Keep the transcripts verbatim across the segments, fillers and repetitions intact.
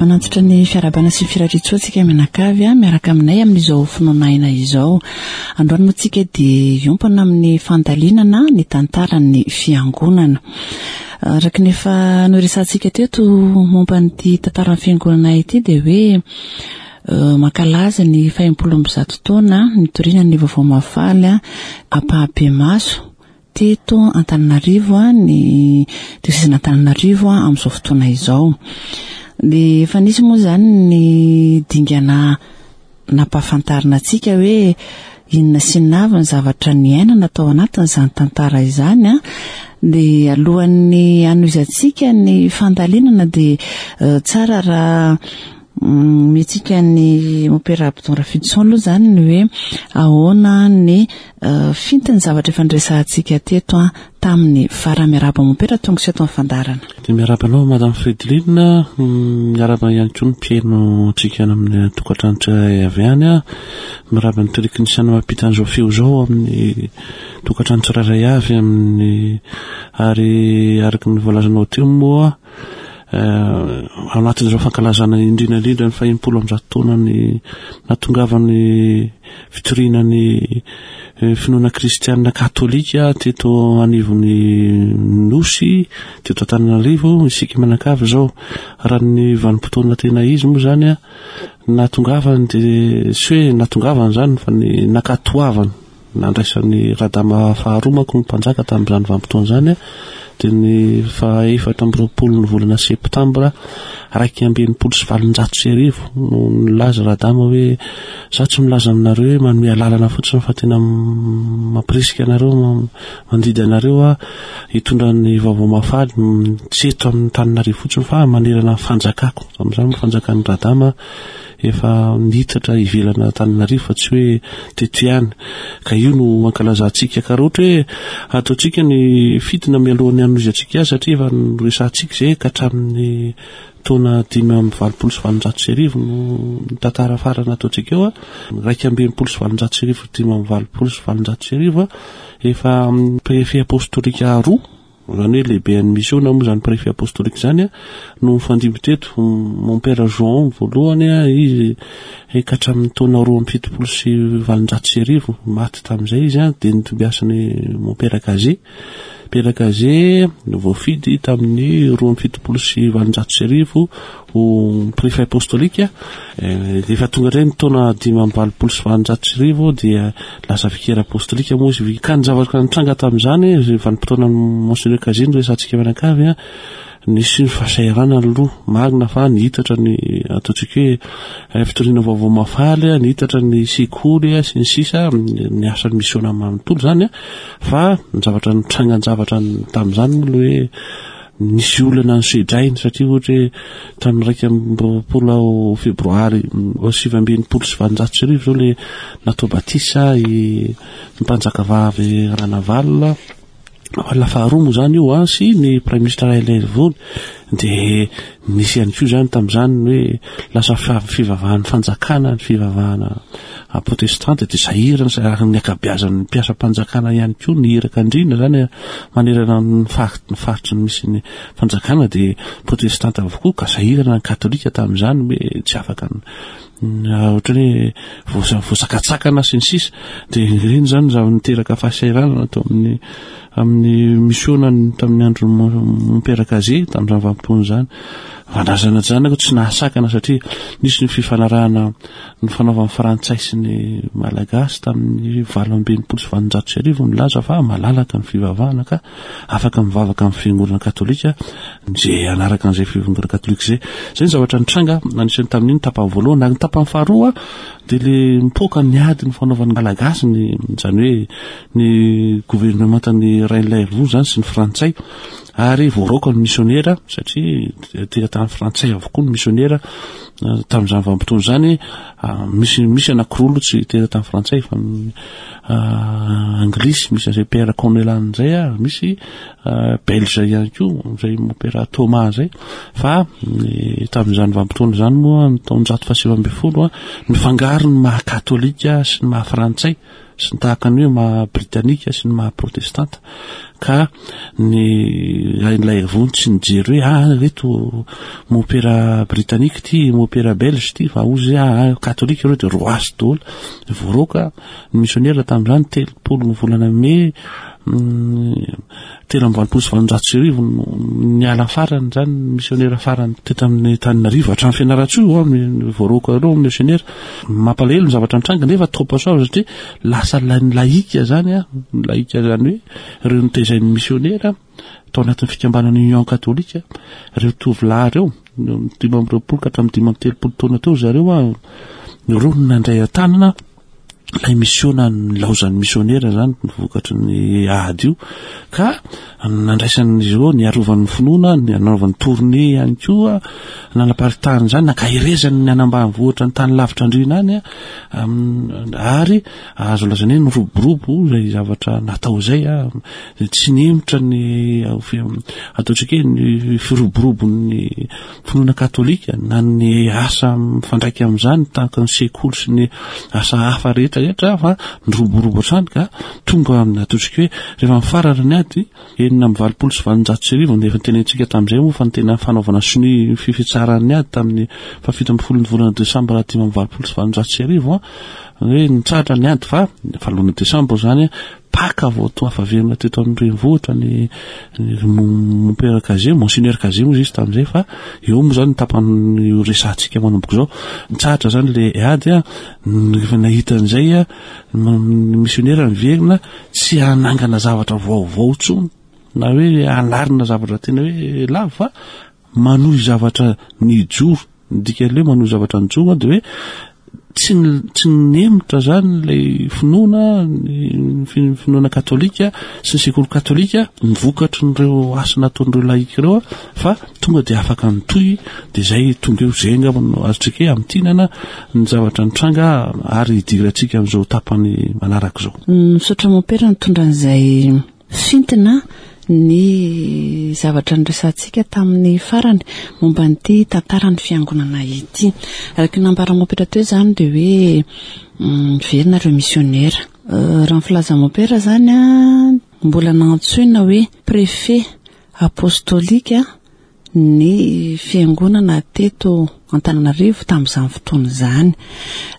Manantitra ny fiarahabana sy ny firariantsoa antsika mianakavy miaraka aminay amin'izao finoana aina izao. Androany moa tsika dia hiompana amin'ny fandalinana ny tantaran'ny fiangonana. Araka ny efa noresahantsika teto momba an'ity tantaran'ny fiangonana ity dia hoe mankalaza ny fahenimpolo amby zato taona nitoriana ny vaovao mahafaly ampahibemaso teto Antananarivo ny diosezin'Antananarivo amin'izao fotoana izao. Dia efa nisy moa izany ny dingana nampahafantarina antsika hoe inona sy inona avy ny zavatra niainana tao anatin'izany tantara izany. Dia alohan'ny hanohizantsika ny fandalinana dia tsara raha mihetsika ny Mompera Abdon Rafidison aloha izany ny hoe ahoana ny fintin'ny zavatra efa niresahantsika teto tamin'ny farany. Miarahaba Mompera, tonga sy eto amin'ny fandaharana. Dia miarahaba anao Madame Fredeline, miarahaba ihany koa ny mpihaino antsika any amin'ny tokantrano tsirairay avy any. Miarahaba ny teknisiana mampita an'izao feo izao amin'ny tokantrano tsirairay avy amin'ny, ary araka ny voalazanao teo moa ao anatin'izao fankalazana indrindra indrindra ny fahenimpolo amby zato taona ny nahatongavan'ny fitoriana ny finoana kristianina katolika teto anivon'ny Nosy, teto Antananarivo, isika mianakavy izao. Raha ny vanim-potoana tena izy moa izany a, nahatongavany dia tsy hoe nahatongavany izany fa ny nankatoavany, nandraisan'ny Radama faharoa manko ny mpanjaka tamin'izany vanim-potoana izany a, dia ny fahaefatra amby roapolo ny volana septambra iraika amby enimpolo sy valonjato sy arivo no nilaza Radama hoe za tsy milaza aminareo hoe manome alalana fotsiny fa tena mampirisika anareo, mandidy anareo a hitondra ny vaovao mahafaly tsy eto amin'ny Antananarivo fotsiny fa manerana ny fanjakako. Amin'izany moa fanjakan'ny Radama efa nitatra ivelana Antananarivo fa tsy hoe teto ihany, ka io no ankalazantsika. Ka raha ohatra hoe ataontsika ny fitina mialohan'ny hanohizantsika azy, satria efa noresahantsika izay ka hatramin'ny taona dimy amby valopolo sy valonjato sy arivo no ny tantara farany nataontsika eo a, iraika amby enimpolo sy valonjato sy arivo, dimy amby valopolo sy valonjato sy arivo a, efa préfet apostolika roa, izany hoe lehibe an'ny misiona moa izany préfet apostolika izany a, no nifandimby teto. Mon père Jean voalohany a, izy ka hatramin'ny taona roa amby fitopolo sy valonjato sy arivo maty tamin'izay izy a, dia nitombiasan'ny mon père Cazé. Père Cazé voafidy tamin'ny roa amby fitopolo sy valonjato sy arivo ho préfet apostolika. Efa tonga indray ny taona dimy amby valopolo sy valonjato sy arivo dia lasa vicaire apostolika moa izy. Ka ny zavatra nitranga tamin'izany, vanim-potoana Monseigneur Cazé no resahantsika mianakavy a, nisy ny fahasahiranana aloha marina fa nihitatra ny ataontsika hoe fitoriana vaovao mahafaly, nihitatra ny sekoly sy ny sisa, ny asan'ny misiona manontolo izany a, fa ny zavatra nitrangan-javatra tamin'izany moa le hoe nisy olana nosedrainy, satria ohatra hoe tamin'ny iraika amby roapolo febroary sivy amby enimpolo sy valonjato sy arivo izao le natao batisa i mpanjakavavy Ranavalona la faharoa moa izany io a, sy ny prime ministre Rainilaiarivony. Dia nisy ihany koa izany tamin'izany hoe lasa fivavahan'ny fanjakana ny fivavahana protestante, dia sahirana sy araka ny ankabeazan'ny mpiasam-panjakana ihany koa ny iraka indrindra izany manerana ny faritry ny faritry ny misy ny fanjakana dia protestante avokoa, ka sahirana ny katolika tamin'izany hoe tsy afaka ohatra hoe voasakatsakana sy ny sisa. Dia ireny izany zavatra niteraka fahasahiranana tao amin'ny amin'ny misiona tamin'ny andro Mompera Cazé tamin'izany vanim-potoana izany. Fandraisana zanako tsy nahasakana satria nisy ny fifanarahana ny fanaovan'ny Frantsay sy ny Malagasy tamin'ny valo amby enimpolo sy valonjato sy arivo nilaza fa malalaka ny fivavahana ka afaka mivavaka amin'ny fiangonana katolika izay hanaraka an'izay fiangonana katolika izay. Izay ny zavatra nitranga anisan'ny tamin'iny tapany voalohany. Ary ny tapany faharoa dia le mipoaka ny ady ny fanaovan'ny Malagasy ny izany hoe ny governemantan'ny Rainilaivo izany sy ny Frantsay, ary voaroaka ny misionera satria teratany frantsay avokoa ny misionera tamin'izany vanim-potoana izany. Misy, misy anankiroa aloha tsy teratany frantsay fa anglisy, misy an'izay Père Comelin izay, ary misy belge ihany koa izay Père Thomas izay. Fa tamin'izany vanim-potoana izany moa ny taonjato fahasivy ambin'ny folo nifangaro ny maha katolika sy ny maha frantsay sy ny tahaka ny hoe maha britanika sy ny maha protestanta, ka ny Rainilaivo tsy nijery hoe ah reto mopera britanika ty, mopera belge ty, fa ozy ah katolika ireo dia roasy daholo. Voaroaka ny misionera tamin'izany telopolo ny volana mey telo amby valopolo sy valonjato sy arivo no niala farany izany misionera farany teto amin'ny Antananarivo hatramin'ny Fianarantsoa io, ny voaroaka ireo misionera. Mampalahelo ny zavatra nitranga nefa topasoava satria lasa ny laika zany a, ny laika zany hoe ireo nitezain'ny misionera tao anatin'ny fikambanana Union Katolika, ireo tovolahy ireo dimy amby roapolo ka hatramin'ny dimy amby telopolo taona teo zareo a, ireo no nandray an-tanana ilay misiona nilaozan'ny misionera zany ny vokatry ny ady io, ka nandraisan'izy ireo ny arovan'ny finoana, ny nanaovany tournée ihany koa, nanaparitahany izany, nankaherezany ny anambanivohitra ny tany lavitra andriana any, ary azo lazaina hoe niroborobo izay zavatra natao izay, tsy nihemotra ny ataontsika hoe ny firoborobon'ny finoana katolika na ny asa mifandraika amin'izany tahaka ny sekoly sy ny asa hafa rehetra rehetra, fa niroborobo hatrany ka tonga amin'ny ataontsika hoe rehefa mifarana ny ady enina amby valopolo sy valonjato sy arivo, efa nitenentsika tamin'izay moa fa ny tena fanaovana sonia fifitsaran'ny ady tamin'ny fahafito ambin'ny folo ny volana desambra dimy amby valopolo sy valonjato sy arivo, hoe nitsahatra ny ady fa valona desambra izany Paka vao to afaverina teto amin'ny renivohitra ny mompera Cazé, Monseigneur Cazé moa izy tamin'izay, fa eo moa zany ny tapany resahantsika manomboka izao. Nitsahatra zany le ady a, rehefa nahita an'izay a, ny misionera niverina tsy hanangana zavatra vaovao intsony na hoe hanarina zavatra tena hoe lava, fa manohy zavatra nijoro. Ny dikan'ilay hoe manohy zavatra nijoro dia hoe tsy tsy nemotra zany ilay finoana, ny finoana katolika sy ny sekoly katolika, ny vokatry n'ireo asa nataon'ireo laika ireo, fa tonga dia afaka nitohy. Dia izay tonga eo izay angamba no azontsika hoe amintinana ny zavatra nitranga ary hidirantsika amin'izao tapany manaraka izao. Misaotra mompera nitondra an'izay fintina ny zavatra niresahantsika tamin'ny farany momba an'ity tantaran'ny fiangonana ity. Araka ny nambara mompera teo izany dia hoe miverina ireo misionera. Raha ny filazan'ny mompera izany a, mbola nantsoina hoe préfet apostolika ny fiangonana teto Antananarivo tamin'izany fotoana izany.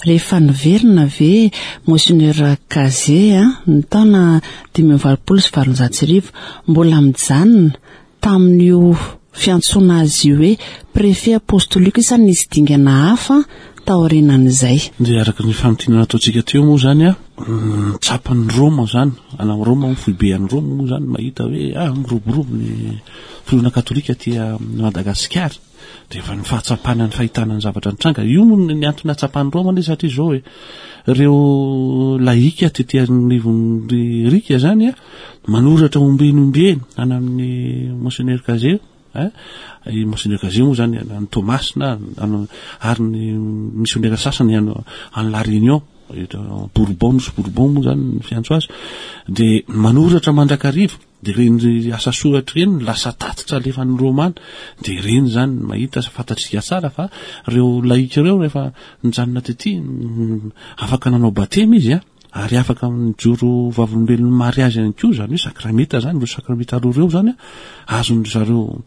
Rehefa niverina ve Monseigneur Cazé ny taona dimy amby valopolo sy valonjato sy arivo, mbola mijanona tamin'io fiantsoana azy io hoe préfet apostolique sa nisy dingana hafa taorianan'izay? Dia araka ny famintinana nataontsika teo moa zany a, tsapan'ny Roma zany, ana Roma moa foibe any Roma moa zany mahita hoe ah miroborobo ny finoana katolika aty Madagasikara. Dia efa ny fahatsapana ny fahitana ny zavatra nitranga io moa ny antony hatsapan'ny Roma anie, satria izao hoe ireo laika tety anivon'ny rika zany a manoratra ombieny ombieny any amin'ny Monseigneur Cazé, eh, i Monseigneur Cazé moa zany any Toamasina, ary ny misionera sasany any any La Réunion, Bourbon, Nosy Bourbon moa zany ny fiantso azy, dia manoratra mandrakariva. Dia ireny asa soratra ireny lasa tatitra alefan'ny Romana, dia ireny zany mahita sy fantatsika tsara fa ireo laika ireo rehefa nijanona tety afaka nanao batemy izy a, ary afaka nijoro vavolombelon'ny mariazy ihany koa, zany hoe sakramenta zany, ireo sakramenta roa ireo zany a, azon-dry zareo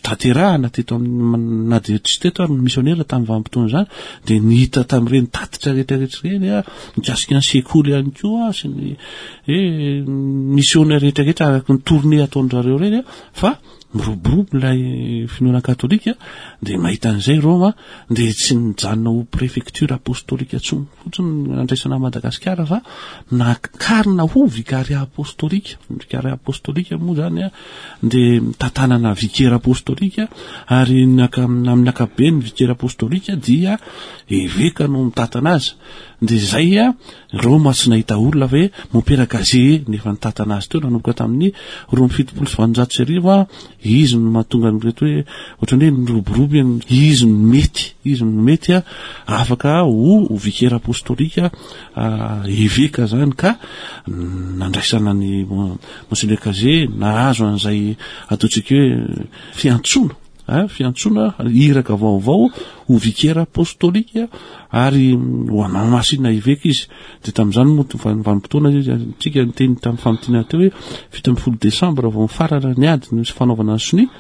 tanterahana teto amin'ny, na dia tsy teto ary ny misionera tamin'ny vanim-potoana izany, dia ny hita tamin'ireny tatitra rehetrarehetra ireny a, mikasika ny sekoly ihany koa sy ny hoe misionera rehetrarehetra araka ny tournée ataon-dry zareo ireny a, fa Miroborobo ilay finoana katolika, dia mahita an'izay Roma, dia tsy nijanona ho préfecture apostolika intsony fotsiny nandraisana Madagasikara fa nakarina ho vicariat apostolika. Vicariat apostolika moa zany a dia tantanana vicaire apostolika, ary amin'ny ankapobeny vicaire apostolika dia eveka no mitantana azy. Dia izay a Roma tsy nahita olona fa hoe Mompera Cazet nefa nitantana azy teo nanomboka tamin'ny roa amby fitopolo sy valonjato sy arivo a izy no mahatonga an'ireto hoe ohatran'ny hoe niroborobo izy no mety, izy no mety a afaka ho vicaire apostolika eveka zany, ka nandraisana ny Monseigneur Cazet nahazo an'izay ataontsika hoe fiantsoana, fiantsoana iraka vaovao ho vicaire apostolika ary ho anamasina eveka izy. Dia tamin'izany moa vanim-potoana tsika niteny tamin'ny famintinana teo hoe fito ambin'ny folo desambra vao mifarana ny ady ny fanaovana ny sonia,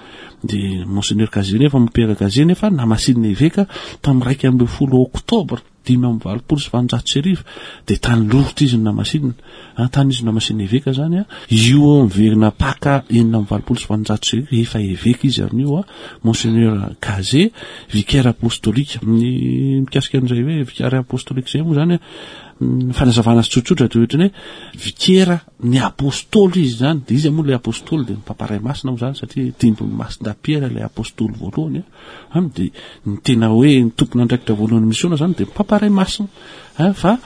dia Monseigneur Cazet nefa Mompera Cazet nefa namasinina eveka tamin'ny raika ambin'ny folo oktobra dimy amby valopolo sy valonjato sy arivo, dia tany Lourdes izy no namasinina, tany izy no namasinina eveka zany a. Io miverina Paka enina amby valopolo sy valonjato sy arivo efa eveka izy amin'io a Monseigneur Cazet vicaire apostolika. Ny mikasika an'izay hoe vicaire apostolika izay moa zany fanazavana azy tsotsotra dia ohatrany hoe vikera ny apôstôly izy zany, dia izy moa ilay apôstôly dia ny Papa Ray Masina moa zany satria dimbin'ny Masindahy Piera ilay apôstôly voalohany a, dia ny tena hoe ny tompon'andraikitra voalohany misiona zany dia ny Papa Ray Masina a, fa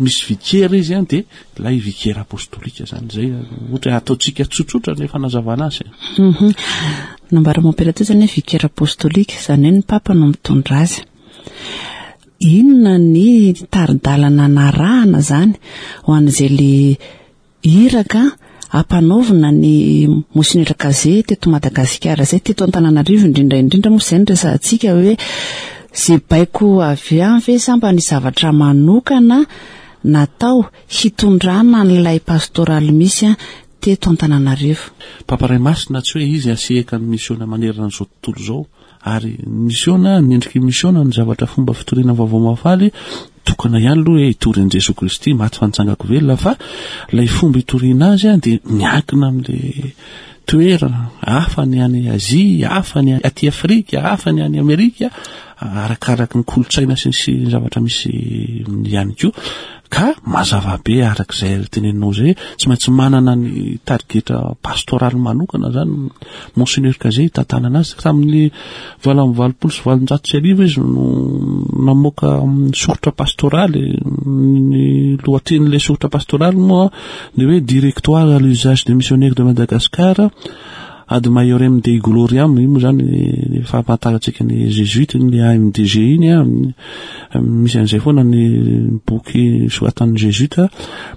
misy vikera izy a dia ilay vikera apôstôlika zany. Zay ohatra ataontsika tsotsotra ny fanazavana azy. Nambara Mompera teo zany hoe vikera apôstôlika, zany hoe ny Papa no mitondra azy. Inona ny tari-dalana narahana zany ho an'izay le iraka ampanaovina ny Monseigneur Cazet teto Madagasikara zay, teto Antananarivo indrindra indrindra moa izay no resahantsika hoe zay baiko avy any ve sa mba nisy zavatra manokana natao hitondrana an'ilay pastoraly misy a teto Antananarivo? Papa Ray Masina tsy hoe izy asehaka ny misiona manerana an'izao tontolo izao, ary misiona ny endriky misiona ny zavatra fomba fitoriana vaovao mahafaly tokana ihany aloha hoe hitory an'i Jesoa Kristy maty fa nitsangako velona, fa ilay fomba hitoriana azy a dia miankina amin'ilay toerana, hafa ny any Azia, hafa ny aty Afrika, hafa ny any Amerika, arakaraky ny kolontsaina sy ny zavatra misy ihany koa. Ka mazava be arak'izay teneninao izay, tsy maintsy manana ny tarigetra pastoraly manokana zany Monseigneur Cazet hitantanana azy. Tamin'ny valo amby valopolo sy valonjato sy arivo izy no namoaka soritra pastoraly. Ny lohatenin'ilay soritra pastoraly moa ny hoe Directoire à l'usage des missionnaires de Madagascar ad maiorem Dei gloriam. Io moa zany ny fahafantarantsika ny jésuite, ny A M D G iny a, misy an'izay foana ny boky soratan'ny jésuite.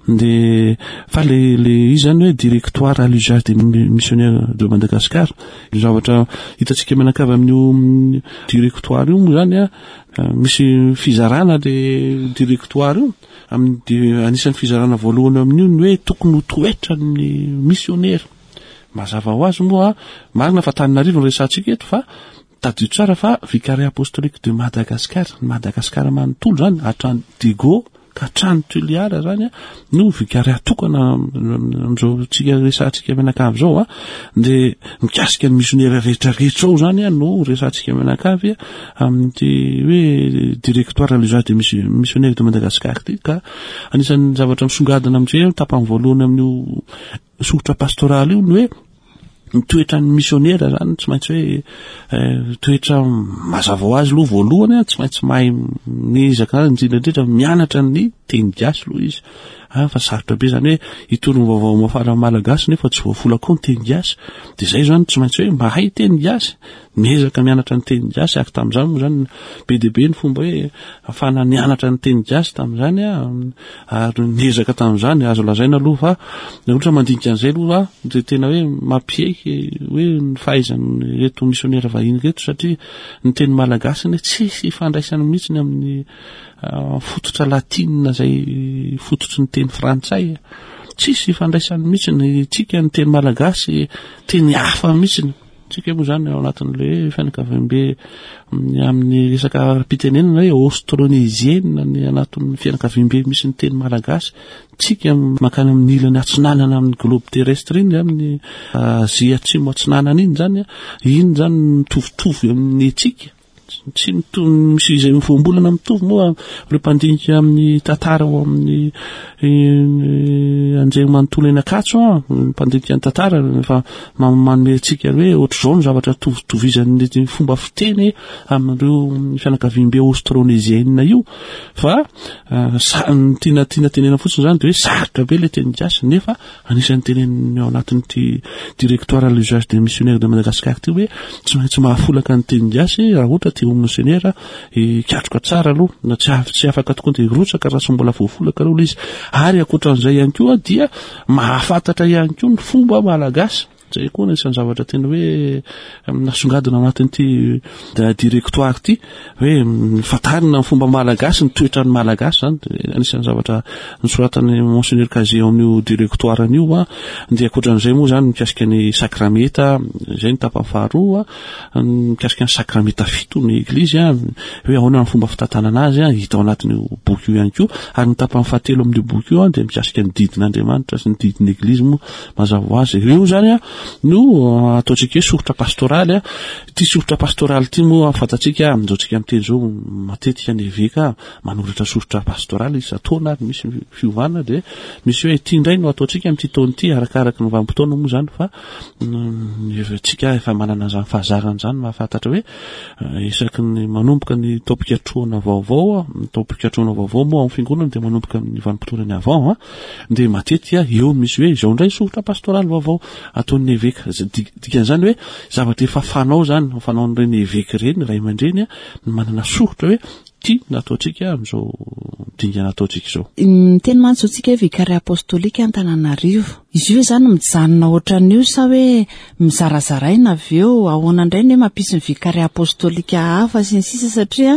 Dia fa le, le izy zany hoe Directoire à l'usage des missionnaires de Madagascar. Ny zavatra hitantsika mianakavy amin'io directoire io moa zany a, misy fizarana le directoire io. Amin'ny anisan'ny fizarana voalohany amin'io ny hoe tokony ho toetra ny missionnaire. Mazava ho azy moa, marina fa Antananarivo no resahantsika eto, fa tadidio tsara fa vicariat apostolique de Madagascar, Madagascar manontolo zany, hatrany Diego ka hatrany Toliara zany no vicariat tokana amin'izao tsika resahantsika mianakavy izao a. Dia mikasika ny missionnaire rehetrarehetra ao zany a no resahantsika mianakavy amin'ity hoe Directoire à l'usage des missionnaires de Madagascar ity. Ka anisan'ny zavatra misongadina amin'izay tapany voalohany amin'io soritra pastoraly io ny hoe ny toetran'ny missionnaire zany tsy maintsy hoe toetra mazava ho azy aloha voalohany a, tsy maintsy mahay miezaka indrindra indrindra mianatra ny teny gasy aloha izy. Ah, fa sarotra be zany hoe hitory ny vaovao mahafaly amin'ny malagasy nefa tsy voafola koa ny teny gasy. Dia zay zany tsy maintsy hoe mahay teny gasy, miezaka mianatra ny teny gasy. Ary tamin'izany moa zany be dia be ny fomba hoe ahafahana nianatra ny teny gasy tamin'izany a, ary niezaka tamin'izany. Azo lazaina aloha fa raha ohatra mandinika an'izay aloha dia tena hoe mampieky hoe ny fahaizan'ireto missionnaire vahiny ireto, satria ny teny malagasy anie tsisy ifandraisany mihitsy ny amin'ny fototra latina izay fototry ny teny frantsay, tsisy ifandraisany mihitsy ny tsika ny teny malagasy, teny hafa mihitsy. Tsika moa zany ao anatin'le fianakaviambe amin'ny resaka ara-pitenenana hoe austronésienne ny anatin'ny fianakaviambe misy ny teny malagasy. Tsika mankany amin'ny ilany atsinanana amin'ny globe terrestre iny, amin'ny Azia atsimo atsinanana iny zany, iny zany mitovitovy amin'ny tsika. Tsy mitovy, misy izay voambolana mitovy moa ireo mpandinika amin'ny tantara ao amin'ny anjery manontolo eny Ankatso, mpandinika ny tantara efa manome antsika hoe ohatr'izao ny zavatra tovitovizan'ny fomba fiteny amin'ireo fianakaviambe austronésienne io. Fa sa ny tiana tiana tenena fotsiny zany de hoe sarotra be le teny gasy, nefa anisan'ny teneniny ao anatin'ity directoire à l'usage des missionnaires de Madagascar ty hoe tsy maintsy mahafolaka ny teny gasy raha ohatra te ho missionnaire, hikatroka tsara aloha na tsy af- tsy afaka tokoa de hirotsaka raha tsy mbola voafolaka aloha izy. Ary ankoatran'izay ihany koa dia mahafantatra ihany koa ny fomba malagasy. Zay koa anisan'ny zavatra tena hoe nasongadina anatin'ity directoire ty, hoe fantarina ny fomba malagasy, ny toetran'ny malagasy zany, anisan'ny zavatra nosoratan'ny Monseigneur Cazet ao amin'io directoire an'io. A dia ankoatran'izay moa zany mikasika ny sakramenta, zay ny tapany faharoa, mikasika ny sakramenta fito ny eglizy, a hoe ahoana ny fomba fitantanana azy, a hita ao anatin'io boky io ihany koa. Ary ny tapany fahatelo amin'io boky io a dia mikasika ny didin'Andriamanitra sy ny didin'ny eglizy moa mazava ho azy. Ireo zany a no ataontsika hoe soritra pastoraly. A ty soritra pastoraly ty moa fantatsika amin'izao tsika miteny zao, matetika ny eveka manoratra soritra pastoraly isan-taona, ary misy fiovana de misy hoe ty indray no ataontsika amin'ity taona ity, arakaraka ny vanim-potoana moa zany, fa tsika efa manana zany fahazarana zany mahafantatra hoe isaky ny manomboka ny taom-pikatrohana vaovao, ny taom-pikatrohana vaovao moa amin'ny fiangonana de manomboka amin'ny vanim-potoana ny avant, a de matetika eo misy hoe izao indray soritra pastoraly vaovao ataon'ny eveka. Dikan'izany hoe zavatra efa fanao zany, fanaon'ireny eveka ireny, ray aman-dreny, a ny manana soritra hoe ty nataontsika amin'izao dingana ataontsika izao. Miteny mantsy zao tsika hoe Vicariat apostolika Antananarivo. Izy io hoe zany mijanona ohatran'io sa hoe mizarazaraina avy eo? Ahoana indray ny hoe mampisy ny Vicariat apostolika hafa sy ny sisa? Satria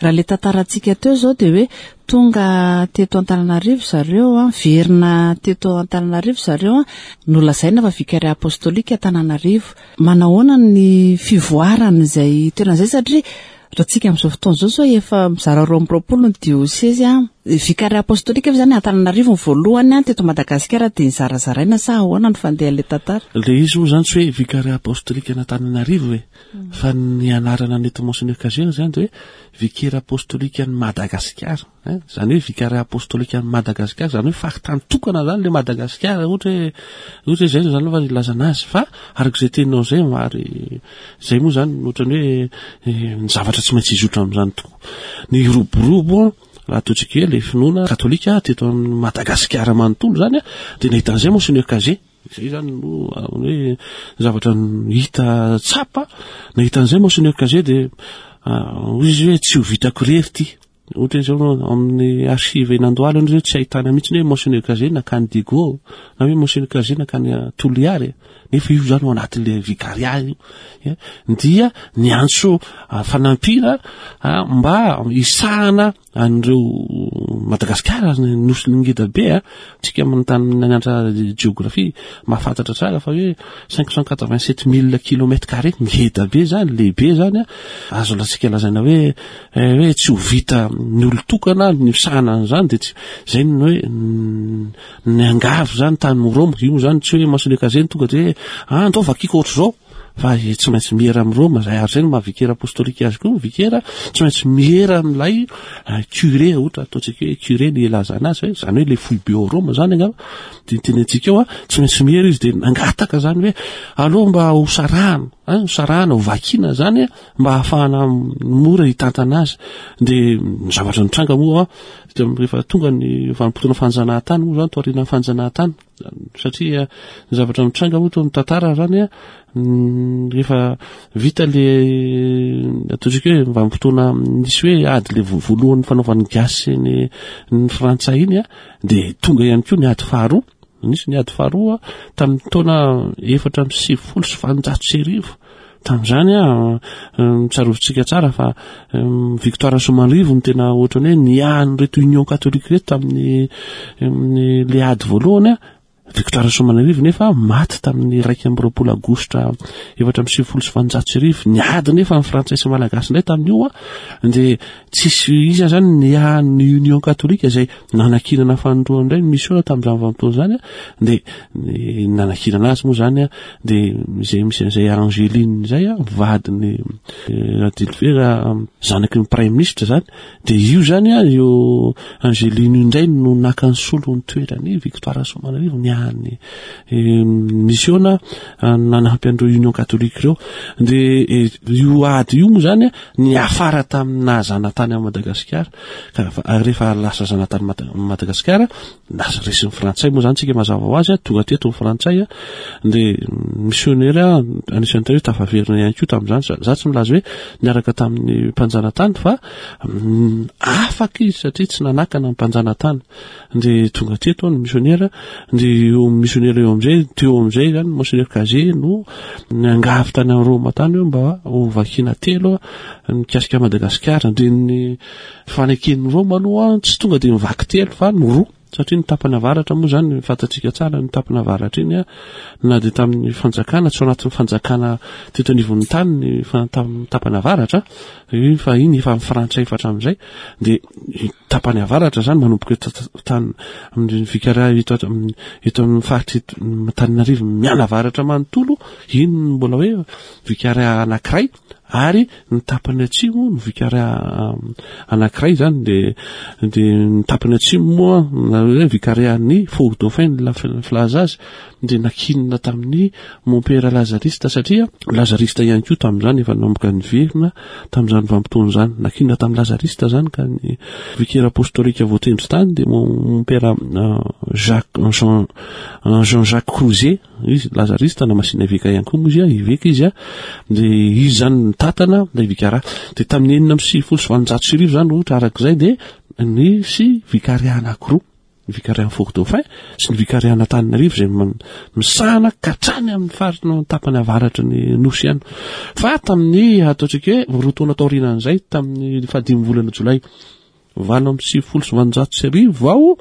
raha le tantarantsika teo zao dia hoe tonga teto Antananarivo zareo, a verina teto Antananarivo zareo, a nolazaina fa Vicariat apostolika Antananarivo. Manahoana ny fivoarana izay toerana izay? Satria raha tsika amin'izao fotoana izao zao efa mizara roa amby roapolo ny diosezy, a Vicariat apostolika zany Antananarivo ny voalohany a teto Madagasikara, dia nizarazaraina sa ahoana ny fandehan'ilay tantara? Le izy moa zany tsy hoe Vicariat apostolika an'Antananarivo e, fa ny anarana nety Monseigneur Cazet zany de hoe Vicaire apostolika ny Madagasikara, zany hoe Vicariat apostolika ny Madagasikara, zany hoe faritany tokana zany le Madagasikara, ohatra hoe ohatra hoe zay zany aloha ilazana azy. Fa arak'izay teninao zay, ary zay moa zany ohatrany hoe ny zavatra tsy maintsy hizotra amin'izany tokoa ny roborobo, raha ataontsika hoe le finoana katolika teto amin'ny Madagasikara manontolo zany, a de nahita an'izay Monseigneur Cazet zay zany no hoe zavatra hita tsapa, nahita an'izay Monseigneur Cazet, de hoy izy hoe tsy ho vitako rery ty. Ohatra hoe zao amin'ny archive eny Andohalo zao tsy ahitana mihitsy hoe Monseigneur Cazet nakany Diego na hoe Monseigneur Cazet nakany Toliary, nefa io zany ao anatin'le vicariat io, dia niantso fanampiana mba hisahana an'ireo Madagasikara, nosy ngeda be. A tsika manontany nianatra géographie mahafantatra tsara fa hoe cinq cent quatre-vingt-sept mille kilomètres carrés, ngeda be zany, lehibe zany, a azo latsika lazaina hoe hoe tsy ho vita ny olo tokana ny misahana an'izany, de tsy zay ny hoe niangavy zany tany Roma io zany. Tsy hoe Monseigneur Cazet tonga de hoe ah andao vakiko ohatr' zao, fa tsy maintsy miera amin'ny Roma zay, ary zay no maha vicaire apostolika azy koa. Vicaire tsy maintsy miera amin'ilay curé, ohatra ataontsika hoe curé ny ilazana azy, hoe zany hoe le foibe ao Roma zany angamba de tenentsika eo, a tsy maintsy miera izy. De nangataka zany hoe aloha mba ho sarahana, ho sarahana, ho vakina zany mba ahafahana mora hitantana azy. De ny zavatra nitranga moa de rehefa tonga ny vanim-potoana fanjanahantany moa zany, taorian'ny fanjanahantany, satria ny zavatra mitranga moa to ny tantara zany, a rehefa vita le ataontsika hoe vanim-potoana nisy hoe ady le voalohany fanaovan'ny gasy ny ny frantsay iny, a de tonga ihany koa ny ady faharoa. Nisy ny ady faharoa tamin'ny taona efatra amby sivifolo sy valonjato sy arivo. Tamin'izany a tsarovitsika tsara fa victoire Soamanarivo no tena ohatrany hoe niahany reto Union catholique reto tamin'ny le ady voalohany, a Victoire Rasoamanarivo nefa maty tamin'ny iraika amby roapolo aogositra efatra amby sivifolo sy valonjato sy arivo. Niady nefa ny frantsay sy malagasy indray tamin'io a, dia tsisy iza zany ny ny Union catholique izay nanakinana fanindroany indray ny mission tamin'izany vanim-potoana izany a, dia nanakinana azy moa zany a, dia izay misy an'izay Angeline izay a, vadiny Radilivera zanaky ny premier ministre zany, dia io zany a, io Angeline io indray no naka ny solo ny toerany Victoire Rasoamanarivo ny any misiona nanampy an'ireo Union catholique ireo. Dia io ady io moa zany a niafara tamin'ny nahazanatany amin'i Madagasikara, ka rehefa lasa zanatany Madagasikara lasa resin'ny frantsay moa zany tsika mazava ho azy a, tonga teto ny frantsay a, dia missionnaire anisan'ny teo tafaverina ihany koa tamin'izany. Za tsy milaza hoe niaraka tamin'ny mpanjanatany fa afaka izy satria tsy nanakana ny mpanjanatany. Dia tonga teto ny missionnaire, dia io missionnaire eo amin'izay teo amin'izay zany Monseigneur Cazé no niangavy tany amin'ny Roma tany hoe mba ho vakina telo mikasika Madagasikara. Dia ny faneken'ny Roma aloha tsy tonga dia mivaky telo fa ny roa, satria ny tapany avaratra moa zany fantatsika tsara ny tapany avaratra iny a, na dia tamin'ny fanjakana tsy ao anatin'ny fanjakana teto anivon'ny tany ny tapany avaratra iny, fa iny efa amin'ny frantsay efa hatramin'izay. Dia tapany avaratra zany manomboka eto tany amin'ny vikara eto eto amin'ny faritra Antananarivo mianavaratra manontolo, iny mbola hoe vikara anankiray, ary ny tapany atsimo ny vikara anankiray zany. Dia dia ny tapany atsimo moa na hoe vikarian'ny Fort Dauphin ny filaza azy, dia nakinina tamin'ny Mompera Lazariste, satria Lazariste ihany koa tamin'izany efa nanomboka niverina tamin'izany vanim-potoana izany, nakinina tamin'ny Lazariste zany. Ka ny vicaire apostolika voatendry tany dia Mompera Jacques Jean Jean-Jacques Crouzet, izy Lazariste na masina eveka ihany koa moa izy a, eveka izy a, dia izy zany nitatana ilay vikara. Dia tamin'ny enina amby sivifolo sy valonjato sy arivo zany ohatra arak'izay dia nisy vikaria anankiroa, ny vikarian'ny Fort Dauphin sy ny vikariana Antananarivo izay misahana ka hatrany amin'ny faritra tapany avaratry ny nosy ihany. Fa tamin'ny ataontsika hoe roa taona taorianan'izay, tamin'ny fahadimy volana jolay valo amby sivifolo sy valonjato sy arivo vao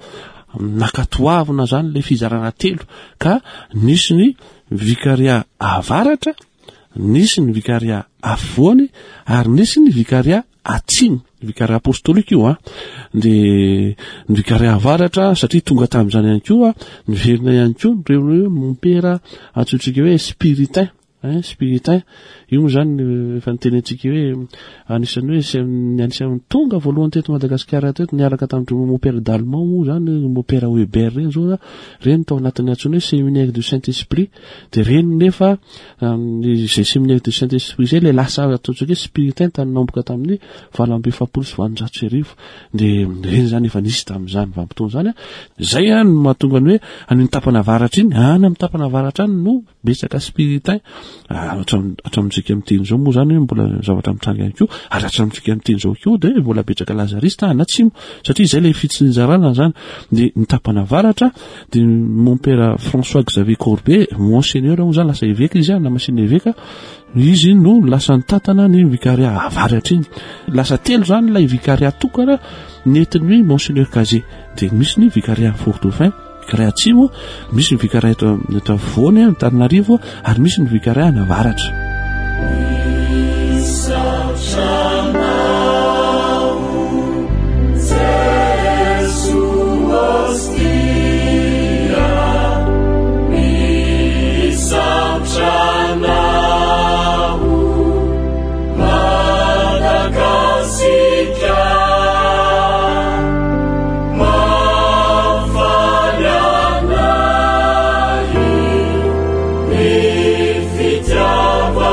nakatoavina zany ilay fizarana telo, ka nisy ny vikaria avaratra, nisy ny vikaria afovoany, ary nisy ny vikaria atsimo, vikaria apostolika io a. Dia ny vikaria avaratra satria tonga tamin'izany ihany koa niverina ihany koa ireo hoe mompera antsointsika hoe spiritain, hein, spiritain io moa zany efa nitenentsika hoe anisan'ny hoe anisan'ny tonga voalohany teto Madagasikara teto niaraka tamin'ny mompera d'Allemand moa zany, mompera Weber reny zao reny tao anatin'ny antsoina hoe séminaire du Saint-Esprit. Dia reny nefa izay séminaire du Saint-Esprit izay ilay lasa ataontsika hoe spiritain tany nanomboka tamin'ny valo amby efapolo sy valonjato sy arivo. Dia reny zany efa nisy tamin'izany vanim-potoana izany. Izay no mahatonga ny hoe any amin'ny tapany avaratra iny, any amin'ny tapany avaratra any no betsaka spiritain. Hatramintsika miteny izao moa zany hoe mbola zavatra mitranga ihany koa, ary hatramintsika miteny izao koa dia mbola betsaka lazariste any atsimo, satria izay ilay fitsinjarana zany. Dia ny tapany avaratra dia mompera François Xavier Corbet, monseigneur moa zany lasa eveka izy, na masina eveka izy no lasa nitatana ny vikaria avaratra iny. Lasa telo zany ilay vikaria tokana nentin'ny monseigneur Cazé. Dia misy ny vikaria Fort Dauphin, vikaria atsimo, misy ny vikaria eto eto afovoany Antananarivo, ary misy ny vikaria any avaratra. Fitiavana.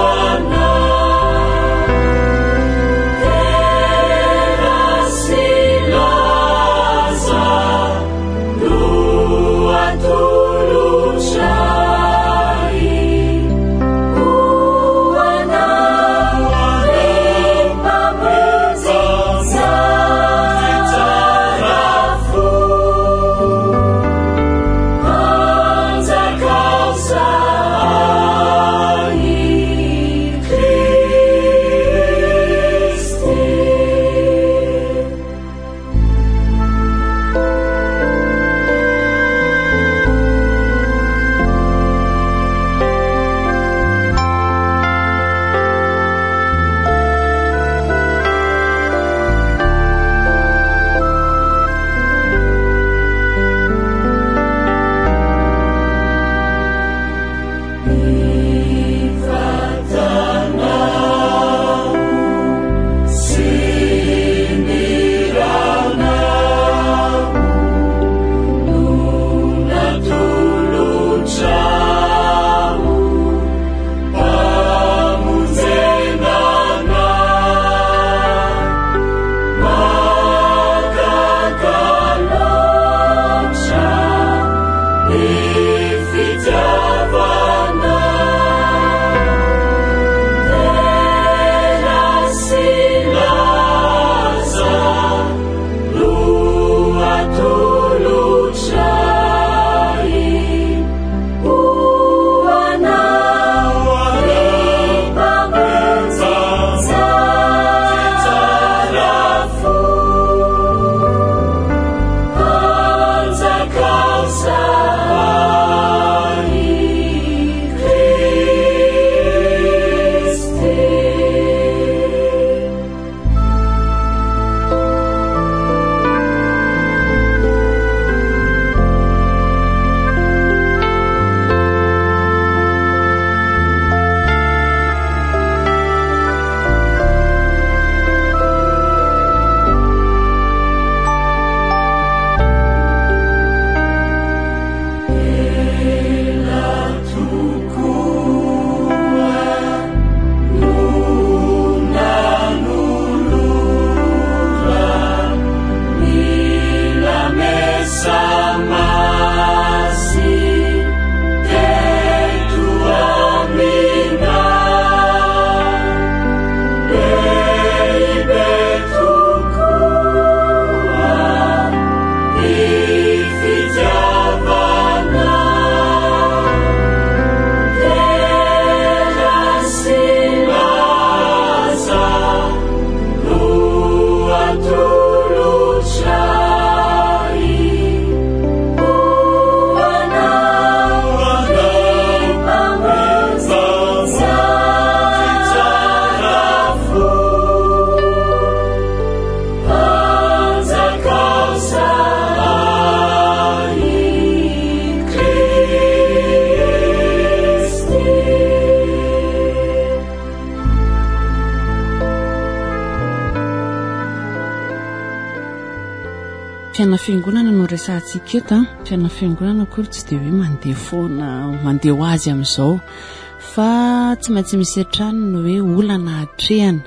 Fiainana fiangonana no resahantsika eto a. Fiainana fiangonana akory tsy dia hoe mandeha foana, mandeha ho azy amin'izao, fa tsy maintsy misy hatrany ny hoe olana atrehana.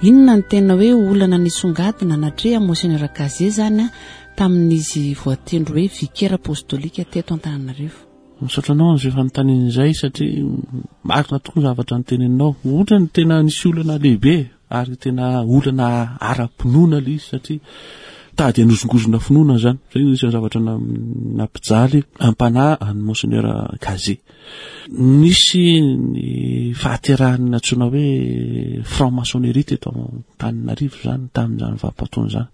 Inona ny tena hoe olana nisongadina natreha Monseigneur Cazet zany a tamin'izy voatendry hoe vicaire apostolika teto Antananarivo? Misaotra anao an'izay fanontaniana izay, satria marina tokoa ny zavatra noteneninao. Ohatra ny tena nisy olana lehibe ary tena olana ara-pinoana ilay izy, satria tady hanozongozona finoana zany. Zay no isan'ny zavatra nampijaly ampanahy an'i Monseigneur Cazet. Nisy ny fahaterahany nantsoina hoe franc-maçonnerie teto Antananarivo zany tamin'izany vanim-potoana izany.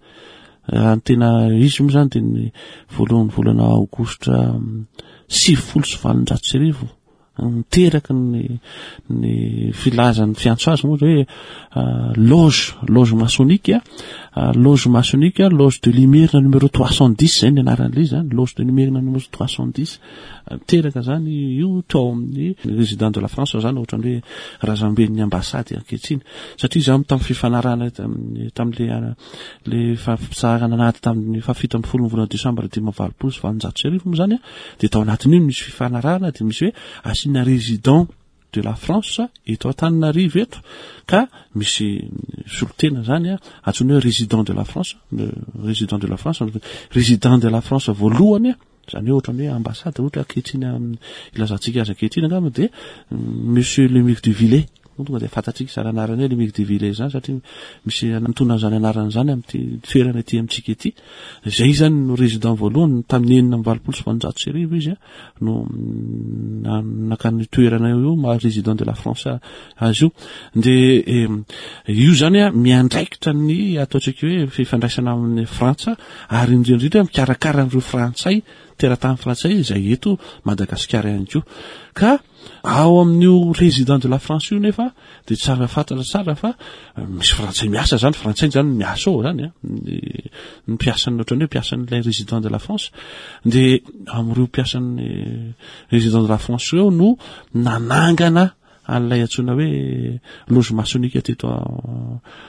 Raha ny tena izy moa zany dia ny voalohan'ny volana aogositra sivifolo sy valonjato sy arivo niteraka ny ny filazan'ny fiantso azy moa hoe loge loge maçonnique, loge maçonnique, loge de l'Imerina numéro trois cent dix, zay ny anaran'ilay izy zany, loge de l'Imerina numéro trois cent dix. Teraka zany io tao amin'ny résident de la France zany, ohatrany hoe razamben'ny ambassade ankehitriny, satria zany tamin'ny fifanarahana tamin'le le fampitsaharana anaty tamin'ny fahafito ambin'ny folo ny volana décembre dimy amby valopolo sy valonjato sy arivo moa zany a, dia tao anatin'io misy fifanarahana, dia misy hoe asiana résident de la France eto Antananarivo eto, ka misy solotena zany a antsoina hoe résident de la France, résident de la France, résident de la France voalohany a, zany hoe ohatrany hoe ambassade ohatra ankehitriny ilazantsika azy ankehitriny angamba, dia Monsieur Lemire de Villers tonga dia fantatsika zany anarany hoe Lemire de Villers zany, satria misy antonona zany anarany zany amin'ity toerana ety amintsika ety. Zay zany no résident voalohany tamin'ny enina amby valopolo sy valonjato sy arivo izy a no nakany toerana io maha résident de la France azy io. De io zany a miandraikitra ny ataontsika hoe fifandraisana amin'ny Frantsa, ary indrindrindrindra mikarakara an'ireo frantsay, teratany frantsay izay eto Madagasikara ihany koa. Ka ao amin'io résident de la France io nefa de tsara fantatra tsara fa misy frantsay miasa zany, frantsay zany miasa ao zany a, ny mpiasan'ny ohatrany hoe mpiasan'ilay résident de la France. De amin'ireo mpiasan'ny résident de la France eo no nanangana an'ilay antsoina hoe loge maçonnique teto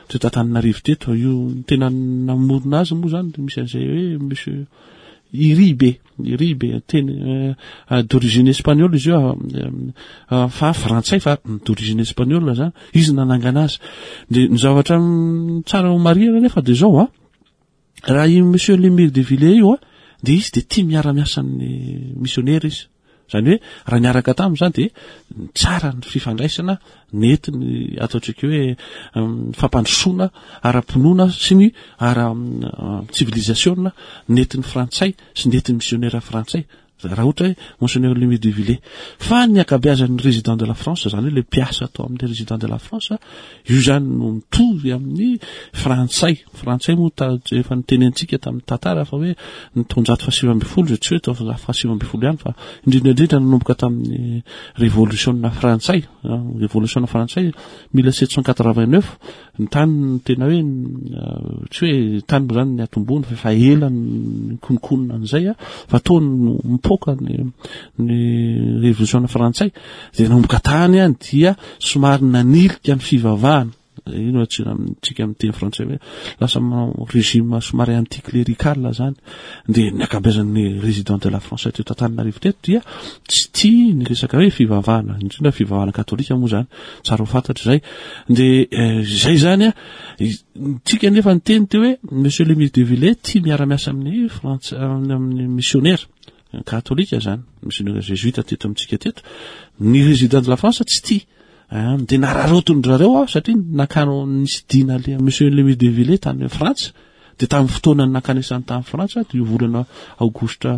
teto Antananarivo teto. Io tena namorona azy moa zany misy an'izay hoe monsieur Iribe, Iribe teny d'origine espagnole izy io, fa frantsay fa d'origine espagnole zany izy nanangana azy. De ny zavatra tsara ho marihana nefa de zao a, raha i Monsieur Lemire de Villers io a, de izy de tia miara-miasa amin'ny missionnaire izy, zany hoe raha niaraka taminy zany de tsara ny fifandraisana nentiny ataontsika hoe fampandrosoana ara-pinoana sy ny ara civilisation nentin'ny frantsay sy nentin'ny missionnaire frantsay, raha ohatra hoe Monseigneur Lemire de Villers. Fa ny ankabeazan'ny résident de la France zany, hoe le mpiasa atao amin'ny résident de la France io zany, no mitovy amin'ny frantsay. Frantsay moa ta efa nitenentsika tamin'ny tantara fa hoe ny taonjato fahasivy ambin'ny folo, tsy hoe taonjato fahasivy ambin'ny folo ihany, fa indrindra indrindra nanomboka tamin'ny révolution frantsay, révolution frantsay mille sept cent quatre-vingt-neuf, ny tany tena hoe tsy hoe tany moa zany ny atombony fa efa ela ny kononkonona an'izay a, fa tao no mipoka ny ny révolution frantsay. De nanomboka tany a dia somary nanilika ny fivavahana ino atsika amin'ny teny frantsay hoe lasa régime somary anticlérical zany. De ny ankabeazan'ny résident de la France teto Antananarivo teto dia tsy tia ny resaka hoe fivavahana, indrindra fivavahana katolika moa zany, tsara ho fantatra zay. De zay zany a tsika nefa ny teny teo hoe Monsieur Lemire de Villers tia miara-miasa amin'ny frantsa, amin'ny missionnaire katolika zany, missionnaire jésuite teto amintsika teto. Ny résident de la France tsy tia, de nararotony zareo a, satria nakano nisy dina le Monsieur Lemire de Villers tany Frantsa. De tamin'ny fotoana nakanesany tamin'ny Frantsa, de io volana aogositra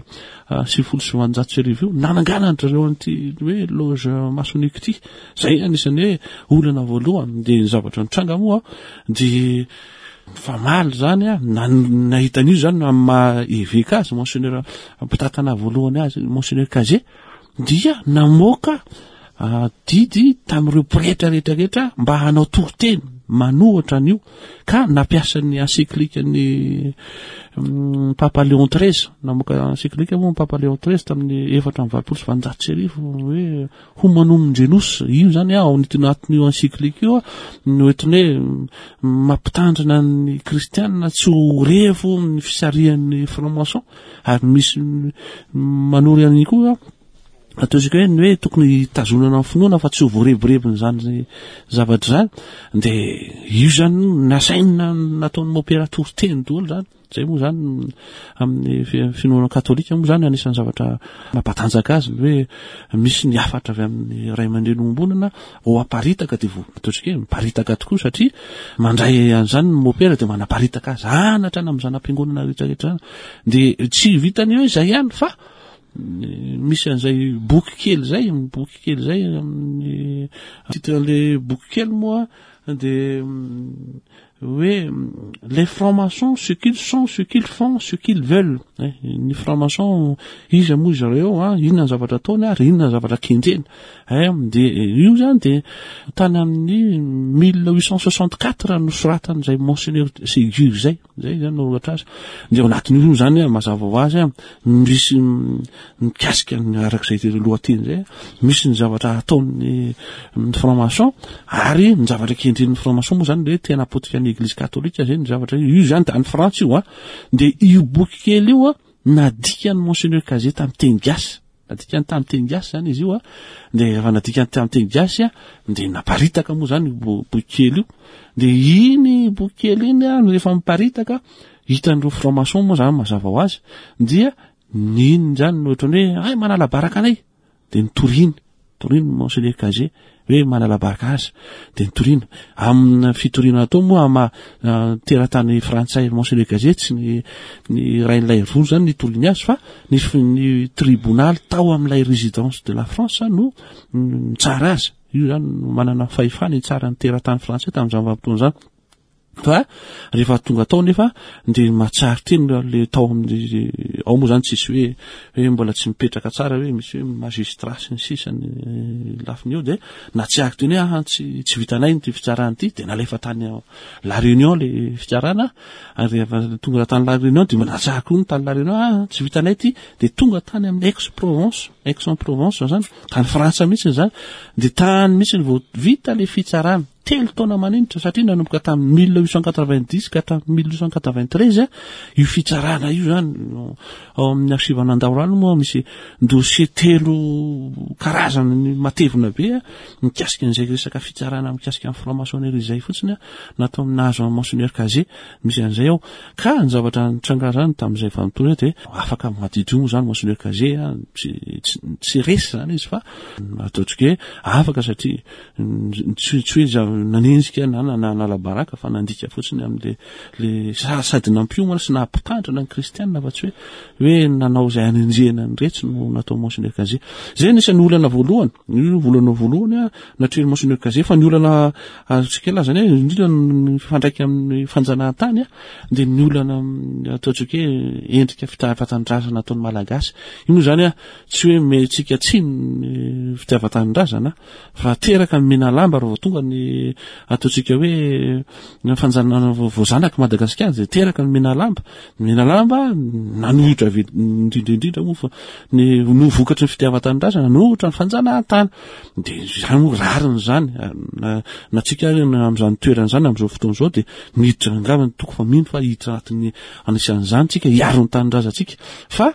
sivifolo sy valonjato sy arivo io nananganany zareo an'ity hoe loge maçonnique ty. Zay anisan'ny hoe olana voalohany. De ny zavatra nitranga moa de famaly zany a, nahita an'io zany amy maha évêque azy, monseigneur mpitatana voalohany azy, Monseigneur Cazet dia namoaka didy tamin'ireo pretra rehetrarehetra mba hanao toriteny. manohitra an'io, ka nampiasa ny encyclique ny Papa Léon treize, namoaka encyclique moa Papa Léon treize tamin'ny efatra amby valopolo sy valonjato sy arivo hoe Humanum Genus. Io zany ao anatin'io encyclique io no entina hoe mampitandrina ny kristianina tsy ho revo ny fisarihan'ny franc-maçon, ary misy manory an'iny koa ataontsika hoe ny hoe tokony hitazonana ny finoana fa tsy ho voarebirebin'izany zavatra izany. Dia io zany nasaina nataon'ny mopera toriteny daholo zany. Zay moa zany amin'ny finoana katolika moa zany anisan'ny zavatra mampatanjaka azy ny hoe misy ny hafatra avy amin'ny ray aman-dreny ombonana ho aparitaka, dia vo ataontsika hoe miparitaka tokoa satria mandray an'izany ny mopera dia manaparitaka azy anatra any amin'ny zanam-piangonana rehetrarehetra zany. Dia tsy vitany hoe zay ihany fa misy an'izay boky kely zay, boky kely zay amin'ny titre an'le boky kely moa dia hoe les francs-maçons, ce qu'ils sont, ce qu'ils font, ce qu'ils veulent. Ny franc-maçon iza moa izy ireo, inona ny zavatra ataony ary inona ny zavatra kendreny. Dia io zany dia tany amin'ny mille huit cent soixante-quatre nosoratan'izay monseigneur Ségur zay, zay zany nanoratra azy. Dia ao anatin'io zany mazava ho azy misy mikasika ny arak'izay lohateny zay, misy ny zavatra ataon'ny franc-maçon ary ny zavatra kendren'ny franc-maçon moa zany hoe tena potika ny église catholique zay ny zavatra io zany any Frantsa io a. Dia io boky kely io a nadikany monseigneur Cazet tamin'ny teny gasy, nadikany tamin'ny teny gasy zany izy io a. Dia rehefa nadikany tamin'ny teny gasy a dia naparitaka moa zany io boky kely io. Dia iny boky kely iny a rehefa miparitaka hitan'ireo franc-maçon moa zany mazava ho azy dia niny zany no ohatrany hoe ay manala baraka anay, dia nitoriny toriny monseigneur Cazet hoe manala baraka azy, dia nitorina amin'ny fitoriana atao moa ama teratany frantsay monseigneur Cazet tsy ny ny rain'ilay roa zany nitoriny azy fa ny ny tribonaly tao amin'ilay résidence de la France no nitsara azy. Io zany manana fahefana hitsara ny teratany frantsay tamin'izany vanim-potoana zany. Fa rehefa tonga tao nefa dia mahatsiaro teny le tao amin'ny ao moa zany tsisy hoe hoe mbola tsy mipetraka tsara hoe misy hoe magistrat sy ny sisa ny lafiny eo, dia natsiaro teny hoe ah tsy tsy vitanay ty fitsarana ity, dia nalefa tany La Réunion le fitsarana. Ary rehefa tonga tany La Réunion dia natsiaro koa ny tany La Réunion, ah tsy vitanay ty, dia tonga tany amin'ny Aix-Provence, Aix-en-Provence zany, tany Frantsa mihitsy zany, dia tany mihitsy vao vita le fitsarana. Telo taona maninitra satria nanomboka tamin'ny mille huit cent quatre-vingt-dix ka hatramin'ny mille huit cent quatre-vingt-treize io fitsarana io zany. Ao amin'ny archive an'Andaorano moa misy dossier telo karazany matevina be mikasika an'izay resaka fitsarana mikasika amin'ny franc-maçonnerie izay fotsiny natao nahazo amin'ny monseigneur Cazet, misy an'izay ao. Ka ny zavatra nitranga zany tamin'izay vanim-potoana dia afaka madiodio moa zany monseigneur Cazet tsy tsy resy zany izy fa ataontsika hoe afaka satria tsy tsy hoe nanenjika na nanala baraka fa nandika fotsiny amin'le le sady nampiomana sy nampitandrina ny kristianina fa tsy hoe hoe nanao izay anenjehana ny retsy no natao monseigneur Cazet. Zay anisan'ny olana voalohany, io olana voalohany a natrehin'ny monseigneur Cazet. Fa ny olana azontsika lazana hoe indrindra ny mifandraika amin'ny fanjanahantany a dia ny olana ataontsika hoe endrika fitiavan-tanindrazana ataon'ny Malagasy. Io moa zany a tsy hoe mentsika tsy ny fitiavan-tanindrazana fa teraka ny Menalamba raha vao tonga ny ataontsika hoe fanjanahana voazanaky Madagasikara dia teraka ny Menalamba. Ny Menalamba nanohitra avy indrindra indrindra moa fa ny no vokatry ny fitiavan-tanindrazana nanohitra ny fanjanahantany. Dia izany moa rariny izany na na tsika amin'izany toerana izany amin'izao fotoana izao dia miditra angamba ny toko fa mino fa hiditra anatin'ny anisan'izany tsika hiaro ny tanindrazantsika. Fa